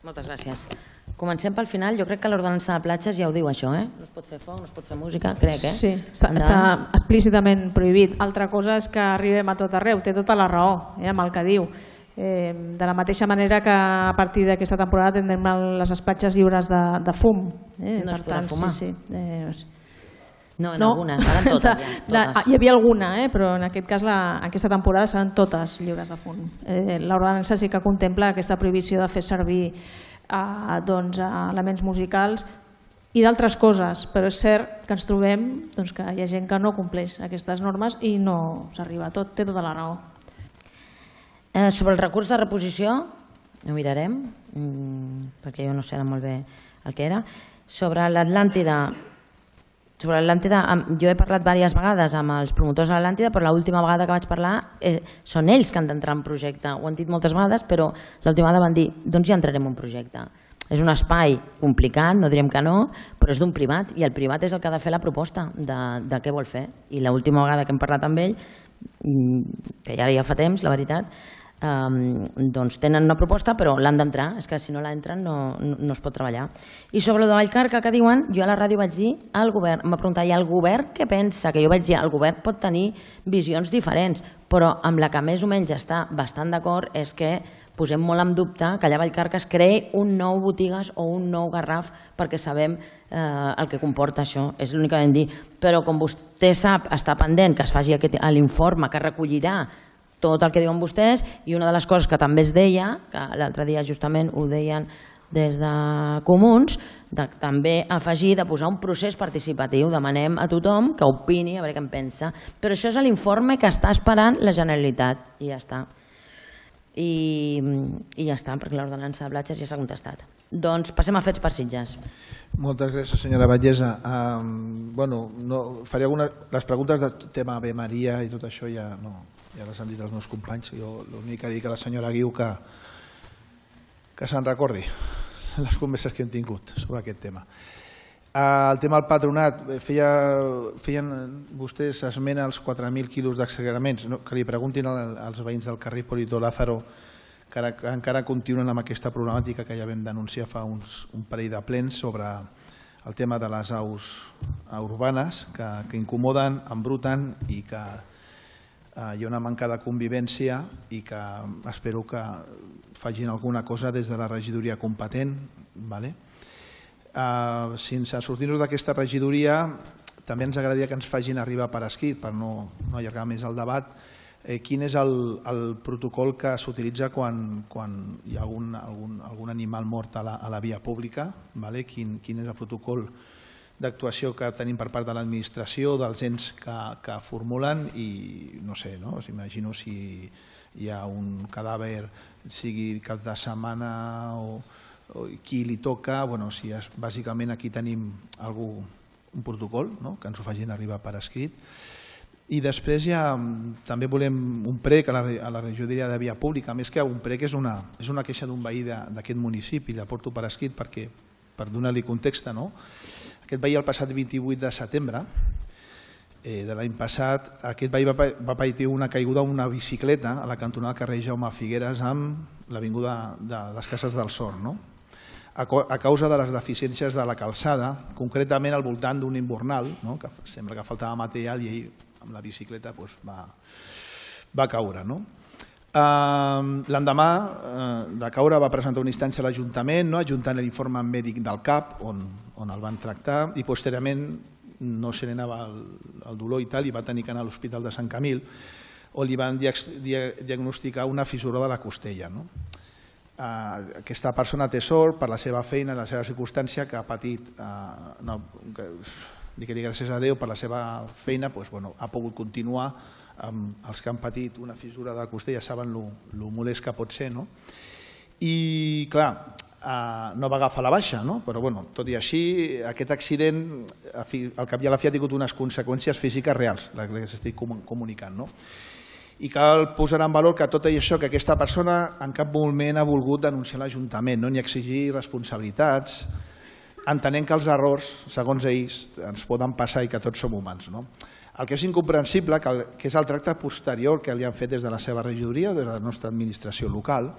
Moltes gràcies. Comencem pel final. Jo crec que l'ordenança de platges ja ho diu això, no es pot fer foc, no es pot fer música, crec, Sí, està explícitament prohibit. Altra cosa és que arribem a tot arreu, té tota la raó amb el que diu. De la mateixa manera que a partir d'aquesta temporada tindrem les platges lliures de fum. No es podrà fumar? Sí. No, en algunes, ara en totes. Hi havia alguna, però en aquest cas aquesta temporada seran totes lliures de fum. L'ordenança sí que contempla aquesta prohibició de fer servir elements musicals i d'altres coses, però és cert que ens trobem que hi ha gent que no compleix aquestes normes i no s'arriba a tot, té tota la raó. Sobre el recurs de reposició, ho mirarem, perquè jo no sé molt bé el que era. Sobre l'Atlàntida, jo he parlat diverses vegades amb els promotors de l'Atlàntida, però l'última vegada que vaig parlar són ells que han d'entrar en projecte. Ho han dit moltes vegades, però l'última vegada van dir doncs ja entrarem en projecte. És un espai complicat, no direm que no, però és d'un privat i el privat és el que ha de fer la proposta de què vol fer. I l'última vegada que hem parlat amb ell, que ja fa temps, la veritat, tenen una proposta però l'han d'entrar, és que si no l'entren no es pot treballar. I sobre el de Vallcarca que diuen, jo a la ràdio vaig dir al govern, m'ha preguntat, i el govern què pensa? Que jo vaig dir, el govern pot tenir visions diferents, però amb la que més o menys està bastant d'acord és que posem molt en dubte que allà a Vallcarca es creï un nou botigues o un nou Garraf perquè sabem el que comporta això, és l'únic que vam dir. Però com vostè sap, està pendent que es faci l'informe que recollirà tot el que diuen vostès, i una de les coses que també es deia, que l'altre dia justament ho deien des de Comuns, de també afegir de posar un procés participatiu, demanem a tothom que opini, a veure què en pensa, però això és l'informe que està esperant la Generalitat i ja està. I ja està, perquè l'ordenança de platges ja s'ha contestat. Doncs passem a fets per Sitges. Moltes gràcies, senyora Vallesa. Faré les preguntes del tema Ave Maria i tot això ja les han dit els meus companys. Jo l'únic que dic a la senyora Guiu que se'n recordi les converses que hem tingut sobre aquest tema. El tema del patronat, feien vostès esment als 4.000 quilos d'excrements, que li preguntin als veïns del carrer Polito Lázaro, que encara continuen amb aquesta problemàtica que ja vam denunciar fa un parell de plens sobre el tema de les aus urbanes que incomoden, embruten i que hi ha una manca de convivència i que espero que facin alguna cosa des de la regidoria competent. Sense sortir-nos d'aquesta regidoria, també ens agradaria que ens facin arribar per escrit, per no allargar més el debat, quin és el protocol que s'utilitza quan hi ha algun animal mort a la via pública, quin és el protocol d'actuació que tenim per part de l'administració, dels ens que formulen, i no sé, imagino si hi ha un cadàver, sigui cap de setmana o qui li toca, si bàsicament aquí tenim un protocol, que ens ho facin arribar per escrit. I després ja també volem un prec a la regidoria de via pública, més que un prec és una queixa d'un veí d'aquest municipi, la porto per escrit per donar-li context. Aquest veí el passat 28 de setembre de l'any passat, aquest veí va patir una caiguda amb una bicicleta a la cantonada del carrer Jaume Figueres amb l'avinguda de les Cases del Sort, a causa de les deficiències de la calçada, concretament al voltant d'un invernal, que sembla que faltava material i ell amb la bicicleta va caure. L'endemà de caure va presentar una instància a l'Ajuntament, adjuntant l'informe mèdic del CAP, on el van tractar, i posteriorment no se n'anava el dolor i tal, i va tenir que anar a l'Hospital de Sant Camil, on li van diagnosticar una fissura de la costella. Aquesta persona té sort per la seva feina, la seva circumstància, que ha patit, dic gràcies a Déu, per la seva feina ha pogut continuar. Els que han patit una fissura de la costella saben el molest que pot ser. I clar, no va agafar la baixa, però tot i així aquest accident al cap i a la fi ha tingut unes conseqüències físiques reals, les que estic comunicant. I cal posar en valor que tot això, que aquesta persona en cap moment ha volgut denunciar l'Ajuntament ni exigir responsabilitats, entenent que els errors, segons ells, ens poden passar i que tots som humans. El que és incomprensible, que és el tracte posterior que li han fet des de la seva regidoria o de la nostra administració local,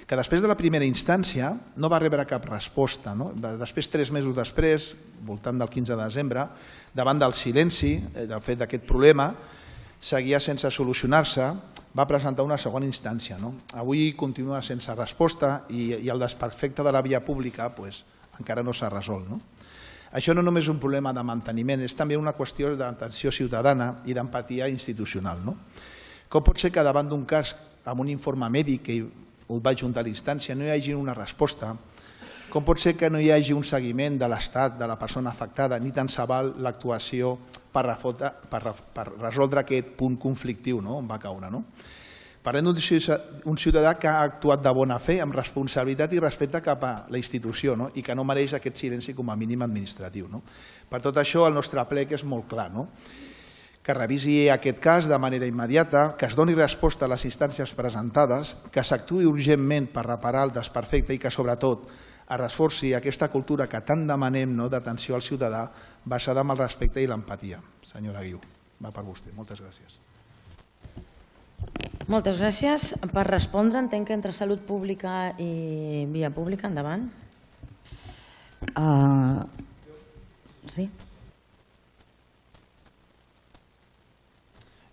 que després de la primera instància no va rebre cap resposta. Després, 3 mesos després, voltant del 15 de desembre, davant del silenci del fet d'aquest problema, seguia sense solucionar-se, va presentar una segona instància. Avui continua sense resposta i el desperfecte de la via pública encara no s'ha resolt. Això no només és un problema de manteniment, és també una qüestió d'atenció ciutadana i d'empatia institucional. Com pot ser que davant d'un cas amb un informe mèdic que ho va juntar a l'instància no hi hagi una resposta? Com pot ser que no hi hagi un seguiment de l'estat de la persona afectada ni tan se val l'actuació per resoldre aquest punt conflictiu on va caure? Parlem d'un ciutadà que ha actuat de bona fe, amb responsabilitat i respecte cap a la institució i que no mereix aquest silenci com a mínim administratiu. Per tot això, el nostre plec és molt clar, que revisi aquest cas de manera immediata, que es doni resposta a les instàncies presentades, que s'actuï urgentment per reparar el desperfecte i que, sobretot, es reforci aquesta cultura que tant demanem d'atenció al ciutadà basada en el respecte i l'empatia. Senyora Guiu, va per vostè. Moltes gràcies. Moltes gràcies. Per respondre, entenc que entre salut pública i via pública, endavant. Sí.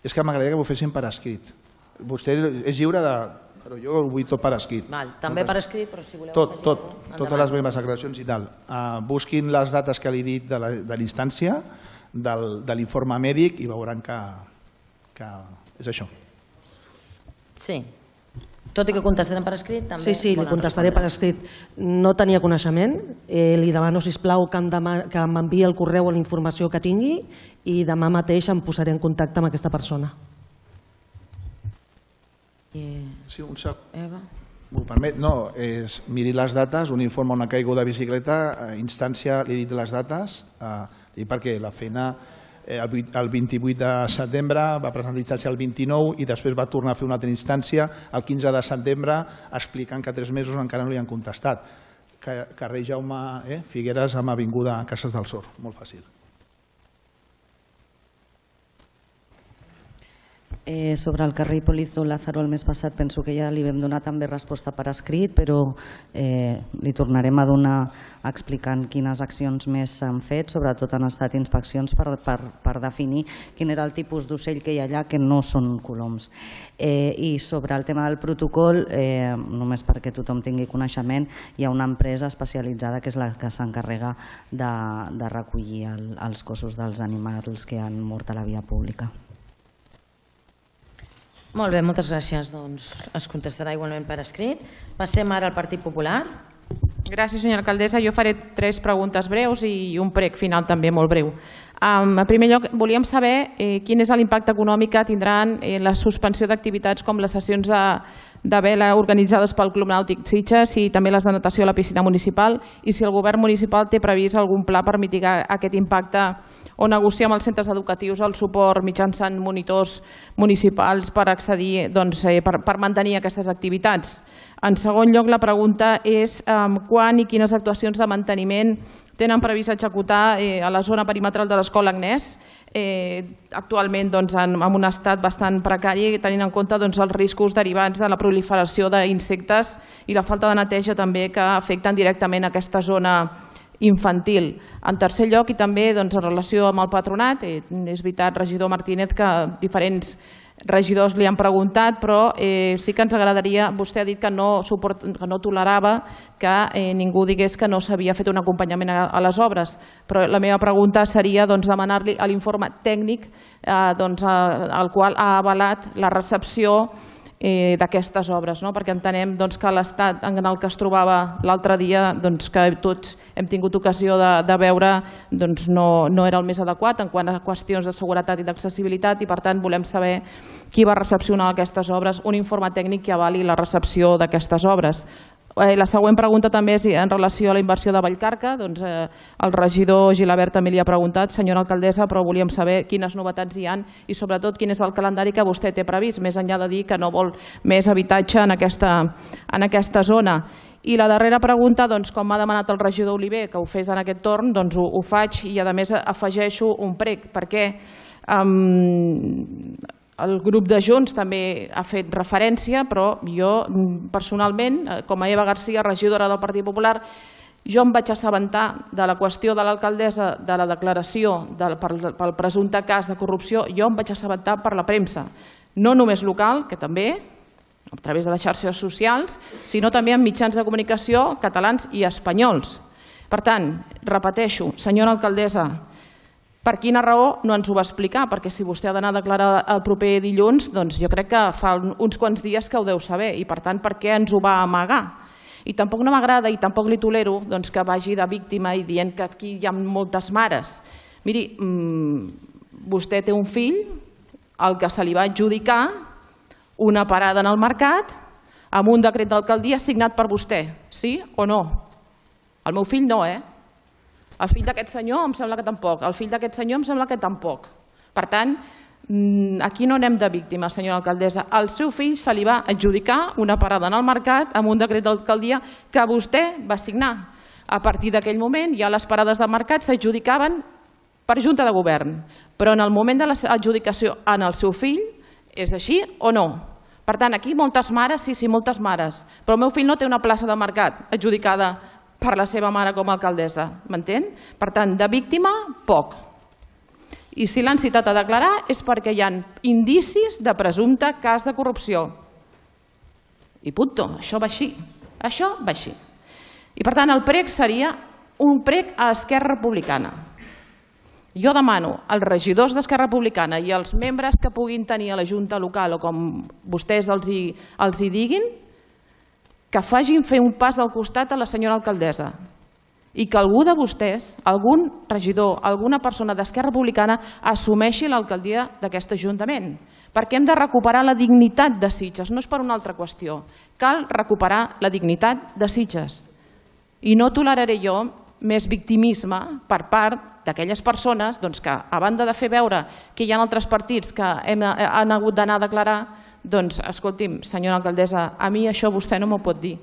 És que m'agradaria que ho fessin per escrit. Vostè és lliure de... Però jo ho vull tot per escrit. També per escrit, però si voleu... Totes les meves aclaracions i tal. Busquin les dates que li he dit de la instància, de l'informe mèdic, i veuran que és això. Sí. Tot i que contestarem per escrit, també... Sí, li contestaré per escrit. No tenia coneixement. Li demano, sisplau, que m'enviï el correu o la informació que tingui i demà mateix em posaré en contacte amb aquesta persona. Sí, un segon. Eva? M'ho permet? No, miri les dates, un informe, una caiguda de bicicleta, instància, li he dit les dates, perquè la feina el 28 de setembre va presentar instància el 29 i després va tornar a fer una altra instància el 15 de setembre explicant que 3 mesos encara no li han contestat. Carrer Jaume Figueres amb avinguda Cases del Sor, molt fàcil. Sobre el carrer Hipólito Lázaro el mes passat penso que ja li vam donar també resposta per escrit, però li tornarem a donar explicant quines accions més s'han fet, sobretot han estat inspeccions per definir quin era el tipus d'ocell que hi ha allà, que no són coloms. I sobre el tema del protocol, només perquè tothom tingui coneixement, hi ha una empresa especialitzada que és la que s'encarrega de recollir els cossos dels animals que han mort a la via pública. Molt bé, moltes gràcies. Doncs es contestarà igualment per escrit. Passem ara al Partit Popular. Gràcies, senyora alcaldessa. Jo faré 3 preguntes breus i un prec final també molt breu. En primer lloc, volíem saber quin és l'impacte econòmic que tindran la suspensió d'activitats com les sessions de vela organitzades pel Club Nàutic Sitges i també les de natació a la piscina municipal, i si el govern municipal té previst algun pla per mitigar aquest impacte o negociar amb els centres educatius el suport mitjançant monitors municipals per accedir, per mantenir aquestes activitats. En segon lloc, la pregunta és quan i quines actuacions de manteniment tenen previst executar a la zona perimetral de l'Escola Agnès, actualment en un estat bastant precari, tenint en compte els riscos derivats de la proliferació d'insectes i la falta de neteja també que afecten directament aquesta zona infantil. En tercer lloc, i també en relació amb el patronat, és veritat, regidor Martínez, que diferents regidors li han preguntat, però sí que ens agradaria, vostè ha dit que no tolerava que ningú digués que no s'havia fet un acompanyament a les obres, però la meva pregunta seria demanar-li l'informe tècnic al qual ha avalat la recepció d'aquestes obres, perquè entenem que l'estat en el que es trobava l'altre dia, que tots hem tingut ocasió de veure, no era el més adequat en quant a qüestions de seguretat i d'accessibilitat, i per tant volem saber qui va recepcionar aquestes obres, un informe tècnic que avali la recepció d'aquestes obres. La següent pregunta també és en relació a la inversió de Vallcarca. El regidor Gilabert també li ha preguntat, senyora alcaldessa, però volíem saber quines novetats hi ha i sobretot quin és el calendari que vostè té previst, més enllà de dir que no vol més habitatge en aquesta zona. I la darrera pregunta, com m'ha demanat el regidor Oliver que ho fes en aquest torn, ho faig i a més afegeixo un prec, perquè el grup de Junts també ha fet referència, però jo personalment, com a Eva García, regidora del Partit Popular, jo em vaig assabentar de la qüestió de l'alcaldessa, de la declaració pel presumpte cas de corrupció, jo em vaig assabentar per la premsa, no només local, que també, a través de les xarxes socials, sinó també en mitjans de comunicació catalans i espanyols. Per tant, repeteixo, senyora alcaldessa, per quina raó no ens ho va explicar? Perquè si vostè ha d'anar a declarar el proper dilluns, doncs jo crec que fa uns quants dies que ho deu saber i per tant per què ens ho va amagar? I tampoc no m'agrada i tampoc li tolero que vagi de víctima i dient que aquí hi ha moltes mares. Miri, vostè té un fill al que se li va adjudicar una parada en el mercat amb un decret d'alcaldia signat per vostè, sí o no? El meu fill no, El fill d'aquest senyor em sembla que tampoc. El fill d'aquest senyor em sembla que tampoc. Per tant, aquí no anem de víctimes, senyora alcaldessa. Al seu fill se li va adjudicar una parada en el mercat amb un decret d'alcaldia que vostè va signar. A partir d'aquell moment ja les parades de mercat s'adjudicaven per Junta de Govern. Però en el moment de l'adjudicació en el seu fill, és així o no? Per tant, aquí moltes mares, sí, moltes mares, però el meu fill no té una plaça de mercat adjudicada per la seva mare com a alcaldessa, m'entén? Per tant, de víctima, poc. I si l'han citat a declarar és perquè hi ha indicis de presumpte cas de corrupció. I punto, això va així. Això va així. I per tant, el prec seria un prec a Esquerra Republicana. Jo demano als regidors d'Esquerra Republicana i als membres que puguin tenir a la Junta Local o com vostès els hi diguin, que facin fer un pas al costat a la senyora alcaldessa i que algú de vostès, algun regidor, alguna persona d'Esquerra Republicana assumeixi l'alcaldia d'aquest Ajuntament. Perquè hem de recuperar la dignitat de Sitges, no és per una altra qüestió. Cal recuperar la dignitat de Sitges. I no toleraré jo més victimisme per part d'aquelles persones que, a banda de fer veure que hi ha altres partits que han hagut d'anar a declarar, doncs, escolti'm, senyora alcaldessa, a mi això vostè no m'ho pot dir.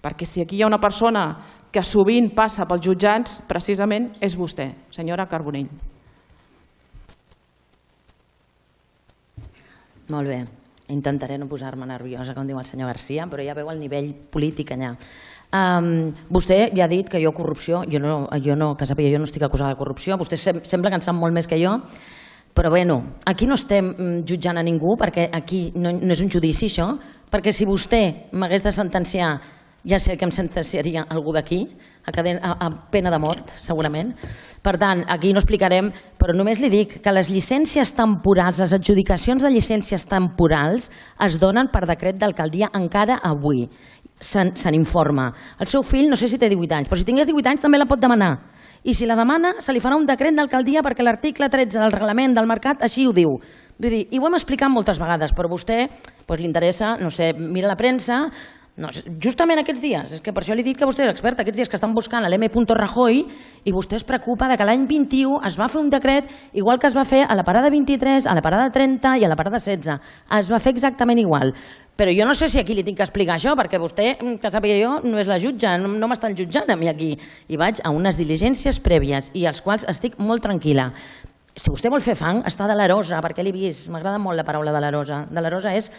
Perquè si aquí hi ha una persona que sovint passa pels jutjats, precisament és vostè, senyora Carbonell. Molt bé. Intentaré no posar-me nerviosa, com diu el senyor Garcia, però ja veu el nivell polític allà. Vostè ja ha dit que jo corrupció, jo no estic acusada de corrupció, vostè sembla que en sap molt més que jo, però bueno, aquí no estem jutjant a ningú perquè aquí no és un judici això, perquè si vostè m'hagués de sentenciar, ja sé que em sentenciaria algú d'aquí, a pena de mort, segurament. Per tant, aquí no explicarem, però només li dic que les llicències temporals, les adjudicacions de llicències temporals es donen per decret d'alcaldia encara avui. Se n'informa. El seu fill, no sé si té 18 anys, però si tingués 18 anys també la pot demanar. I si la demana, se li farà un decret d'alcaldia perquè l'article 13 del reglament del mercat així ho diu. Vull dir, i ho hem explicat moltes vegades, però a vostè li interessa, no sé, mira la premsa, justament aquests dies, és que per això li he dit que vostè és expert, aquests dies que estan buscant l'M. Rajoy i vostè es preocupa que l'any 21 es va fer un decret igual que es va fer a la parada 23, a la parada 30 i a la parada 16. Es va fer exactament igual. Però jo no sé si aquí li tinc que explicar això, perquè vostè, que sàpiga jo, no és la jutge, no m'estan jutjant a mi aquí. I vaig a unes diligències prèvies i als quals estic molt tranquil·la. Si vostè vol fer fang, està delerosa, perquè l'he vist, m'agrada molt la paraula delerosa. Delerosa és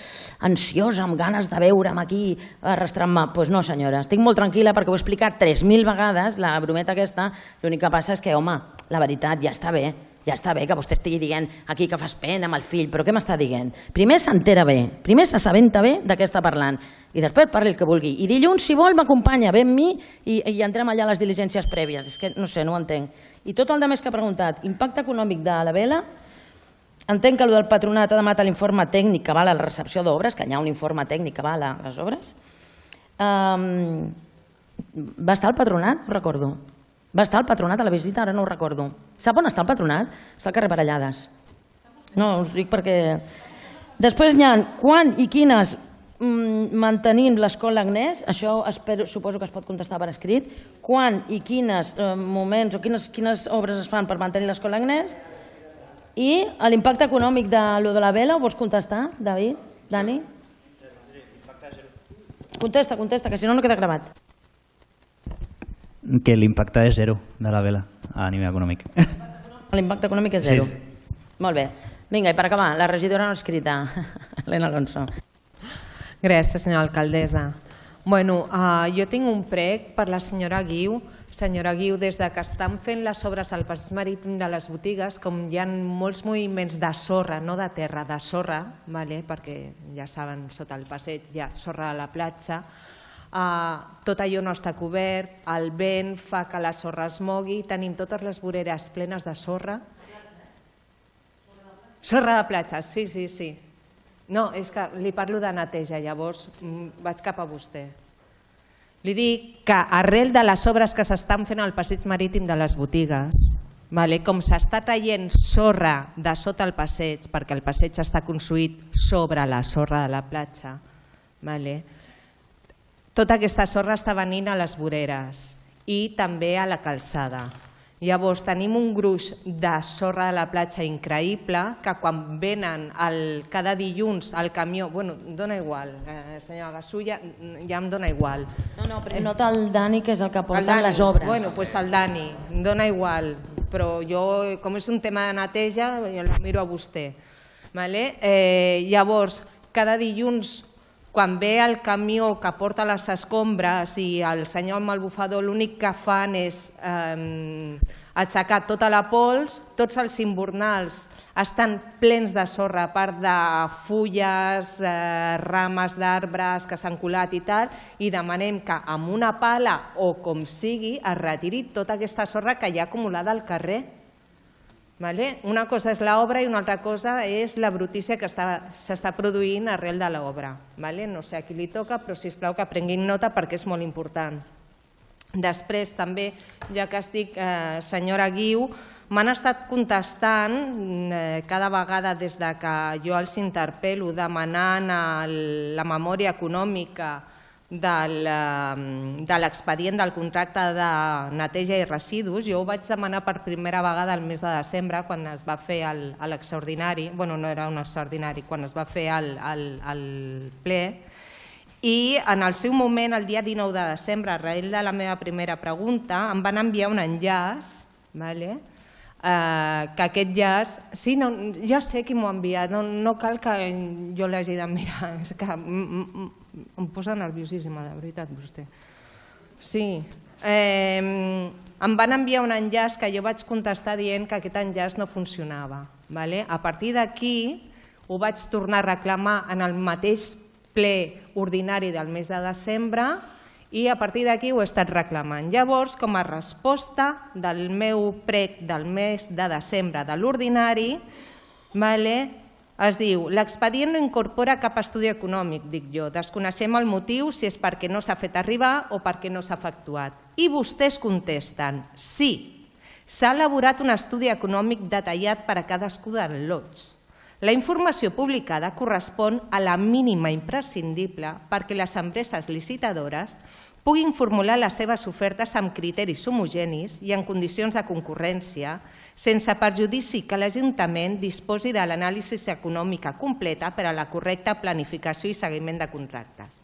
ansiosa, amb ganes de veure'm aquí, arrastrant-me. Doncs no, senyora, estic molt tranquil·la perquè ho he explicat 3.000 vegades, la brometa aquesta, l'únic que passa és que, home, la veritat, ja està bé que vostè estigui dient aquí que fas pena amb el fill, però què m'està dient? Primer s'entera bé, primer s'assabenta bé de què està parlant i després parli el que vulgui. I dilluns, si vol, m'acompanya, ve amb mi i entrem allà a les diligències prèvies. És que no sé, no ho entenc. I tot el més que ha preguntat, impacte econòmic de la vela, entenc que el del patronat ha demanat l'informe tècnic que val a la recepció d'obres, que hi ha un informe tècnic que val a les obres. Va estar el patronat? No recordo. Va estar el patronat a la visita? Ara no ho recordo. Sap on està el patronat? Està al carrer Parellades. No, us dic perquè... Després hi ha quan i quines mantenim l'escola Agnès, això suposo que es pot contestar per escrit, quan i quins moments o quines obres es fan per mantenir l'escola Agnès i l'impacte econòmic de la vela, ho vols contestar, David? Dani? Contesta, que si no, no queda gravat. Que l'impacte és zero de la vela a nivell econòmic. L'impacte econòmic és zero. Molt bé. Vinga, i per acabar, la regidora no escrita, Helena Alonso. Gràcies, senyora alcaldessa. Bueno, jo tinc un prec per la senyora Guiu. Senyora Guiu, des que estan fent les obres al passeig marítim de les botigues, com hi ha molts moviments de sorra, no de terra, de sorra, perquè ja saben, sota el passeig hi ha sorra a la platja, tot allò no està cobert, el vent fa que la sorra es mogui, tenim totes les voreres plenes de sorra. Sorra de platja, sí. No, és que li parlo de neteja, llavors vaig cap a vostè. Li dic que arrel de les obres que s'estan fent al passeig marítim de les botigues, com s'està traient sorra de sota el passeig, perquè el passeig està construït sobre la sorra de la platja, tota aquesta sorra està venint a les voreres i també a la calçada. Llavors tenim un gruix de sorra de la platja increïble que quan venen cada dilluns al camió, bueno, dona igual, senyora Gasulla, ja em dona igual. No, però nota el Dani, que és el que porta les obres. Bueno, doncs el Dani, em dona igual, però jo, com és un tema de neteja, jo la miro a vostè. Llavors, cada dilluns, quan ve el camió que porta les escombres i el senyor malbufador l'únic que fan és aixecar tota la pols, tots els imbornals estan plens de sorra, a part de fulles, rames d'arbres que s'han colat i tal, i demanem que amb una pala o com sigui es retiri tota aquesta sorra que hi ha acumulada al carrer. Una cosa és l'obra i una altra cosa és la brutícia que s'està produint arrel de l'obra. No sé a qui li toca, però sisplau que prenguin nota perquè és molt important. Després també, ja que estic, senyora Guiu, m'han estat contestant cada vegada des que jo els interpel·lo demanant la memòria econòmica de l'expedient del contracte de neteja i residus. Jo ho vaig demanar per primera vegada el mes de desembre quan es va fer l'extraordinari, bueno, no era un extraordinari, quan es va fer el ple, i en el seu moment, el dia 19 de desembre, arrel de la meva primera pregunta, em van enviar un enllaç, que aquest enllaç, sí, ja sé qui m'ho ha enviat, no cal que jo l'hagi de mirar, és que em posa nerviosíssima, de veritat, vostè. Sí, em van enviar un enllaç que jo vaig contestar dient que aquest enllaç no funcionava. A partir d'aquí ho vaig tornar a reclamar en el mateix ple ordinari del mes de desembre i a partir d'aquí ho he estat reclamant. Llavors, com a resposta del meu prec del mes de desembre de l'ordinari, es diu, l'expedient no incorpora cap estudi econòmic, dic jo, desconeixem el motiu si és perquè no s'ha fet arribar o perquè no s'ha efectuat. I vostès contesten, sí, s'ha elaborat un estudi econòmic detallat per a cadascú dels lots. La informació publicada correspon a la mínima imprescindible perquè les empreses licitadores puguin formular les seves ofertes amb criteris homogenis i en condicions de concurrència, sense perjudici que l'Ajuntament disposi de l'anàlisi econòmica completa per a la correcta planificació i seguiment de contractes.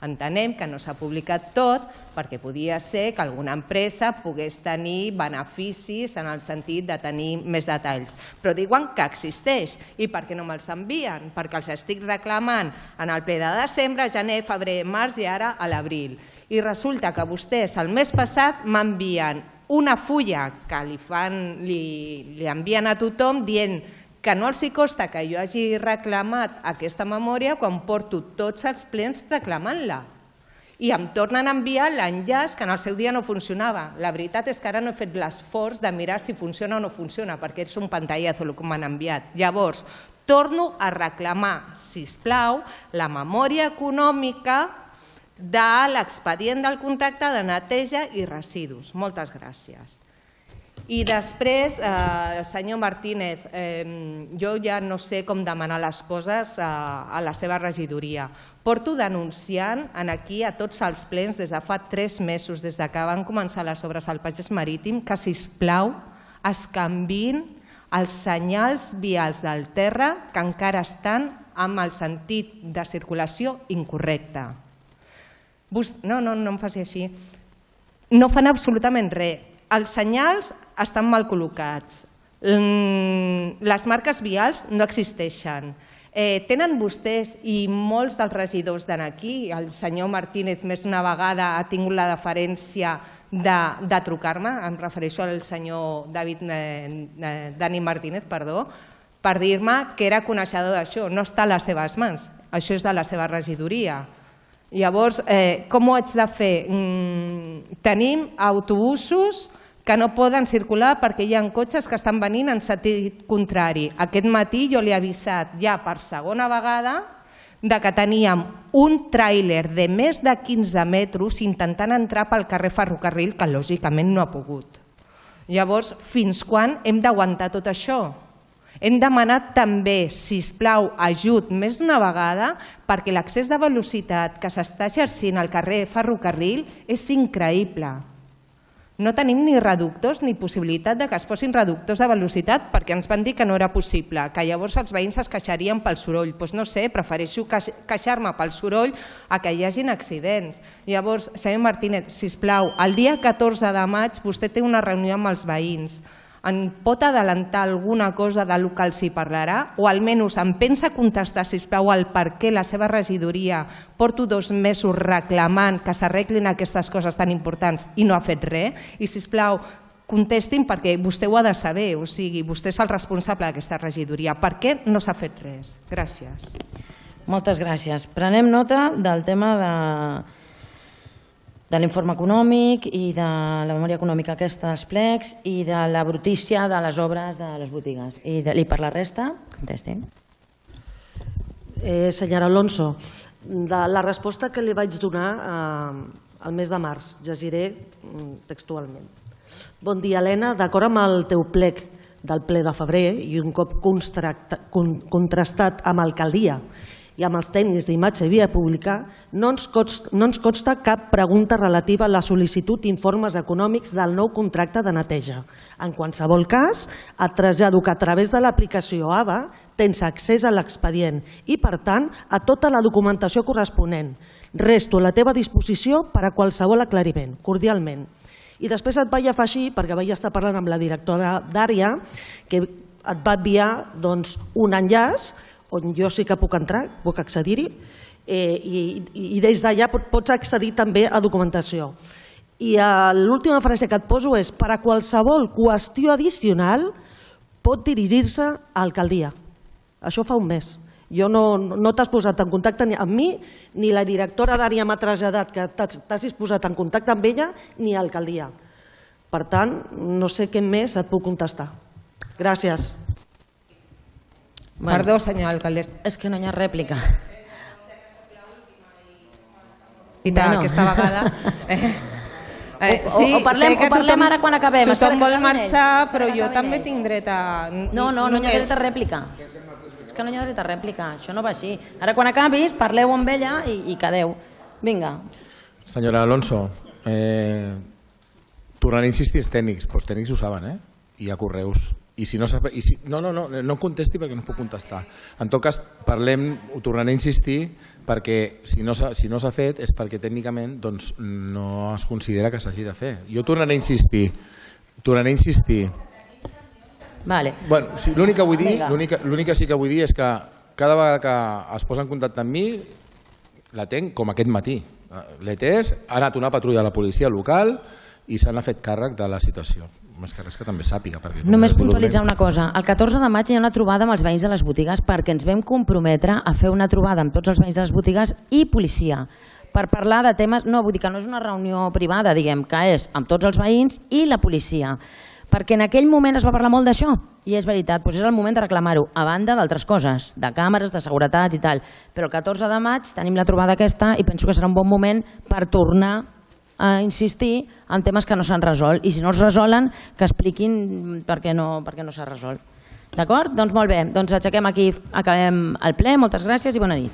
Entenem que no s'ha publicat tot perquè podia ser que alguna empresa pogués tenir beneficis en el sentit de tenir més detalls, però diuen que existeix. I per què no me'ls envien? Perquè els estic reclamant en el ple de desembre, gener, febrer, març i ara a l'abril. I resulta que vostès el mes passat m'envien una fulla que li envien a tothom dient que no els costa que jo hagi reclamat aquesta memòria quan porto tots els plens reclamant-la. I em tornen a enviar l'enllaç que en el seu dia no funcionava. La veritat és que ara no he fet l'esforç de mirar si funciona o no funciona, perquè és un pantallazo el que m'han enviat. Llavors, torno a reclamar, sisplau, la memòria econòmica de l'expedient del contracte de neteja i residus. Moltes gràcies. I després, senyor Martínez, jo ja no sé com demanar les coses a la seva regidoria. Porto denunciant aquí a tots els plens des de fa 3 mesos, des que van començar les obres al Pagès Marítim, que, sisplau, es canviïn els senyals vials del terra que encara estan amb el sentit de circulació incorrecte. No em faci així. No fan absolutament res. Els senyals estan mal col·locats. Les marques vials no existeixen. Tenen vostès i molts dels regidors d'aquí, el senyor Martínez més d'una vegada ha tingut la deferència de trucar-me, em refereixo al senyor Dani Martínez, per dir-me que era coneixedor d'això. No està a les seves mans, això és de la seva regidoria. Llavors, com ho haig de fer? Tenim autobusos que no poden circular perquè hi ha cotxes que estan venint en sentit contrari. Aquest matí jo li he avisat ja per segona vegada que teníem un tràiler de més de 15 metres intentant entrar pel carrer Ferrocarril, que lògicament no ha pogut. Llavors, fins quan hem d'aguantar tot això? Hem demanat també, sisplau, ajut més d'una vegada perquè l'accés de velocitat que s'està exercint al carrer Ferrocarril és increïble. No tenim ni reductors ni possibilitat que es posin reductors de velocitat perquè ens van dir que no era possible, que llavors els veïns es queixarien pel soroll. Doncs no sé, prefereixo queixar-me pel soroll a que hi hagin accidents. Llavors, senyor Martínez, sisplau, el dia 14 de maig vostè té una reunió amb els veïns. Em pot adelantar alguna cosa del que els hi parlarà? O almenys em pensa contestar, sisplau, el per què la seva regidoria porto 2 mesos reclamant que s'arreglin aquestes coses tan importants i no ha fet res? I, sisplau, contestin perquè vostè ho ha de saber, o sigui, vostè és el responsable d'aquesta regidoria. Per què no s'ha fet res? Gràcies. Moltes gràcies. Prenem nota del tema de l'informe econòmic i de la memòria econòmica aquesta dels plecs i de la brutícia de les obres de les botigues. I per la resta, contestin. Senyora Alonso, la resposta que li vaig donar al mes de març, llegiré textualment. Bon dia, Helena. D'acord amb el teu plec del ple de febrer i un cop contrastat amb alcaldia i amb els tècnics d'imatge i via pública, no ens consta cap pregunta relativa a la sol·licitud d'informes econòmics del nou contracte de neteja. En qualsevol cas, et trasllado que a través de l'aplicació AVA tens accés a l'expedient i, per tant, a tota la documentació corresponent. Resto a la teva disposició per a qualsevol aclariment, cordialment. I després et vaig afegir, perquè vaig estar parlant amb la directora d'àrea, que et va enviar un enllaç on jo sí que puc entrar, puc accedir-hi, i des d'allà pots accedir també a documentació. I l'última frase que et poso és: per a qualsevol qüestió addicional pot dirigir-se a l'alcaldia. Això fa un mes. No t'has posat en contacte amb mi, ni la directora d'àrea m'ha traslladat que t'has posat en contacte amb ella, ni a l'alcaldia. Per tant, no sé què més et puc contestar. Gràcies. Perdó, senyora alcaldessa. És que no hi ha rèplica. Aquesta vegada. O parlem ara quan acabem. Tothom vol marxar, però jo també tinc dret a... No hi ha dret a rèplica. És que no hi ha dret a rèplica. Això no va així. Ara quan acabis, parleu amb ella i quedeu. Vinga. Senyora Alonso, tornaré a insistir els tècnics, però els tècnics ho saben, i hi ha correus. No contesti perquè no puc contestar. En tot cas, ho tornaré a insistir perquè si no s'ha fet és perquè tècnicament no es considera que s'hagi de fer. Jo tornaré a insistir. L'únic que sí que vull dir és que cada vegada que es posa en contacte amb mi l'atenc com aquest matí. L'he atès, ha anat una patrulla de la policia local i se n'ha fet càrrec de la situació. Més que res que també sàpiga. Només puntualitzar una cosa. El 14 de maig hi ha una trobada amb els veïns de les botigues perquè ens vam comprometre a fer una trobada amb tots els veïns de les botigues i policia per parlar de temes, no, vull dir que no és una reunió privada, diguem, que és amb tots els veïns i la policia. Perquè en aquell moment es va parlar molt d'això i és veritat, és el moment de reclamar-ho, a banda d'altres coses, de càmeres, de seguretat i tal. Però el 14 de maig tenim la trobada aquesta i penso que serà un bon moment per tornar a insistir en temes que no s'han resolt i si no es resolen que expliquin per què no s'ha resolt. D'acord? Doncs molt bé, aixequem aquí, acabem el ple, moltes gràcies i bona nit.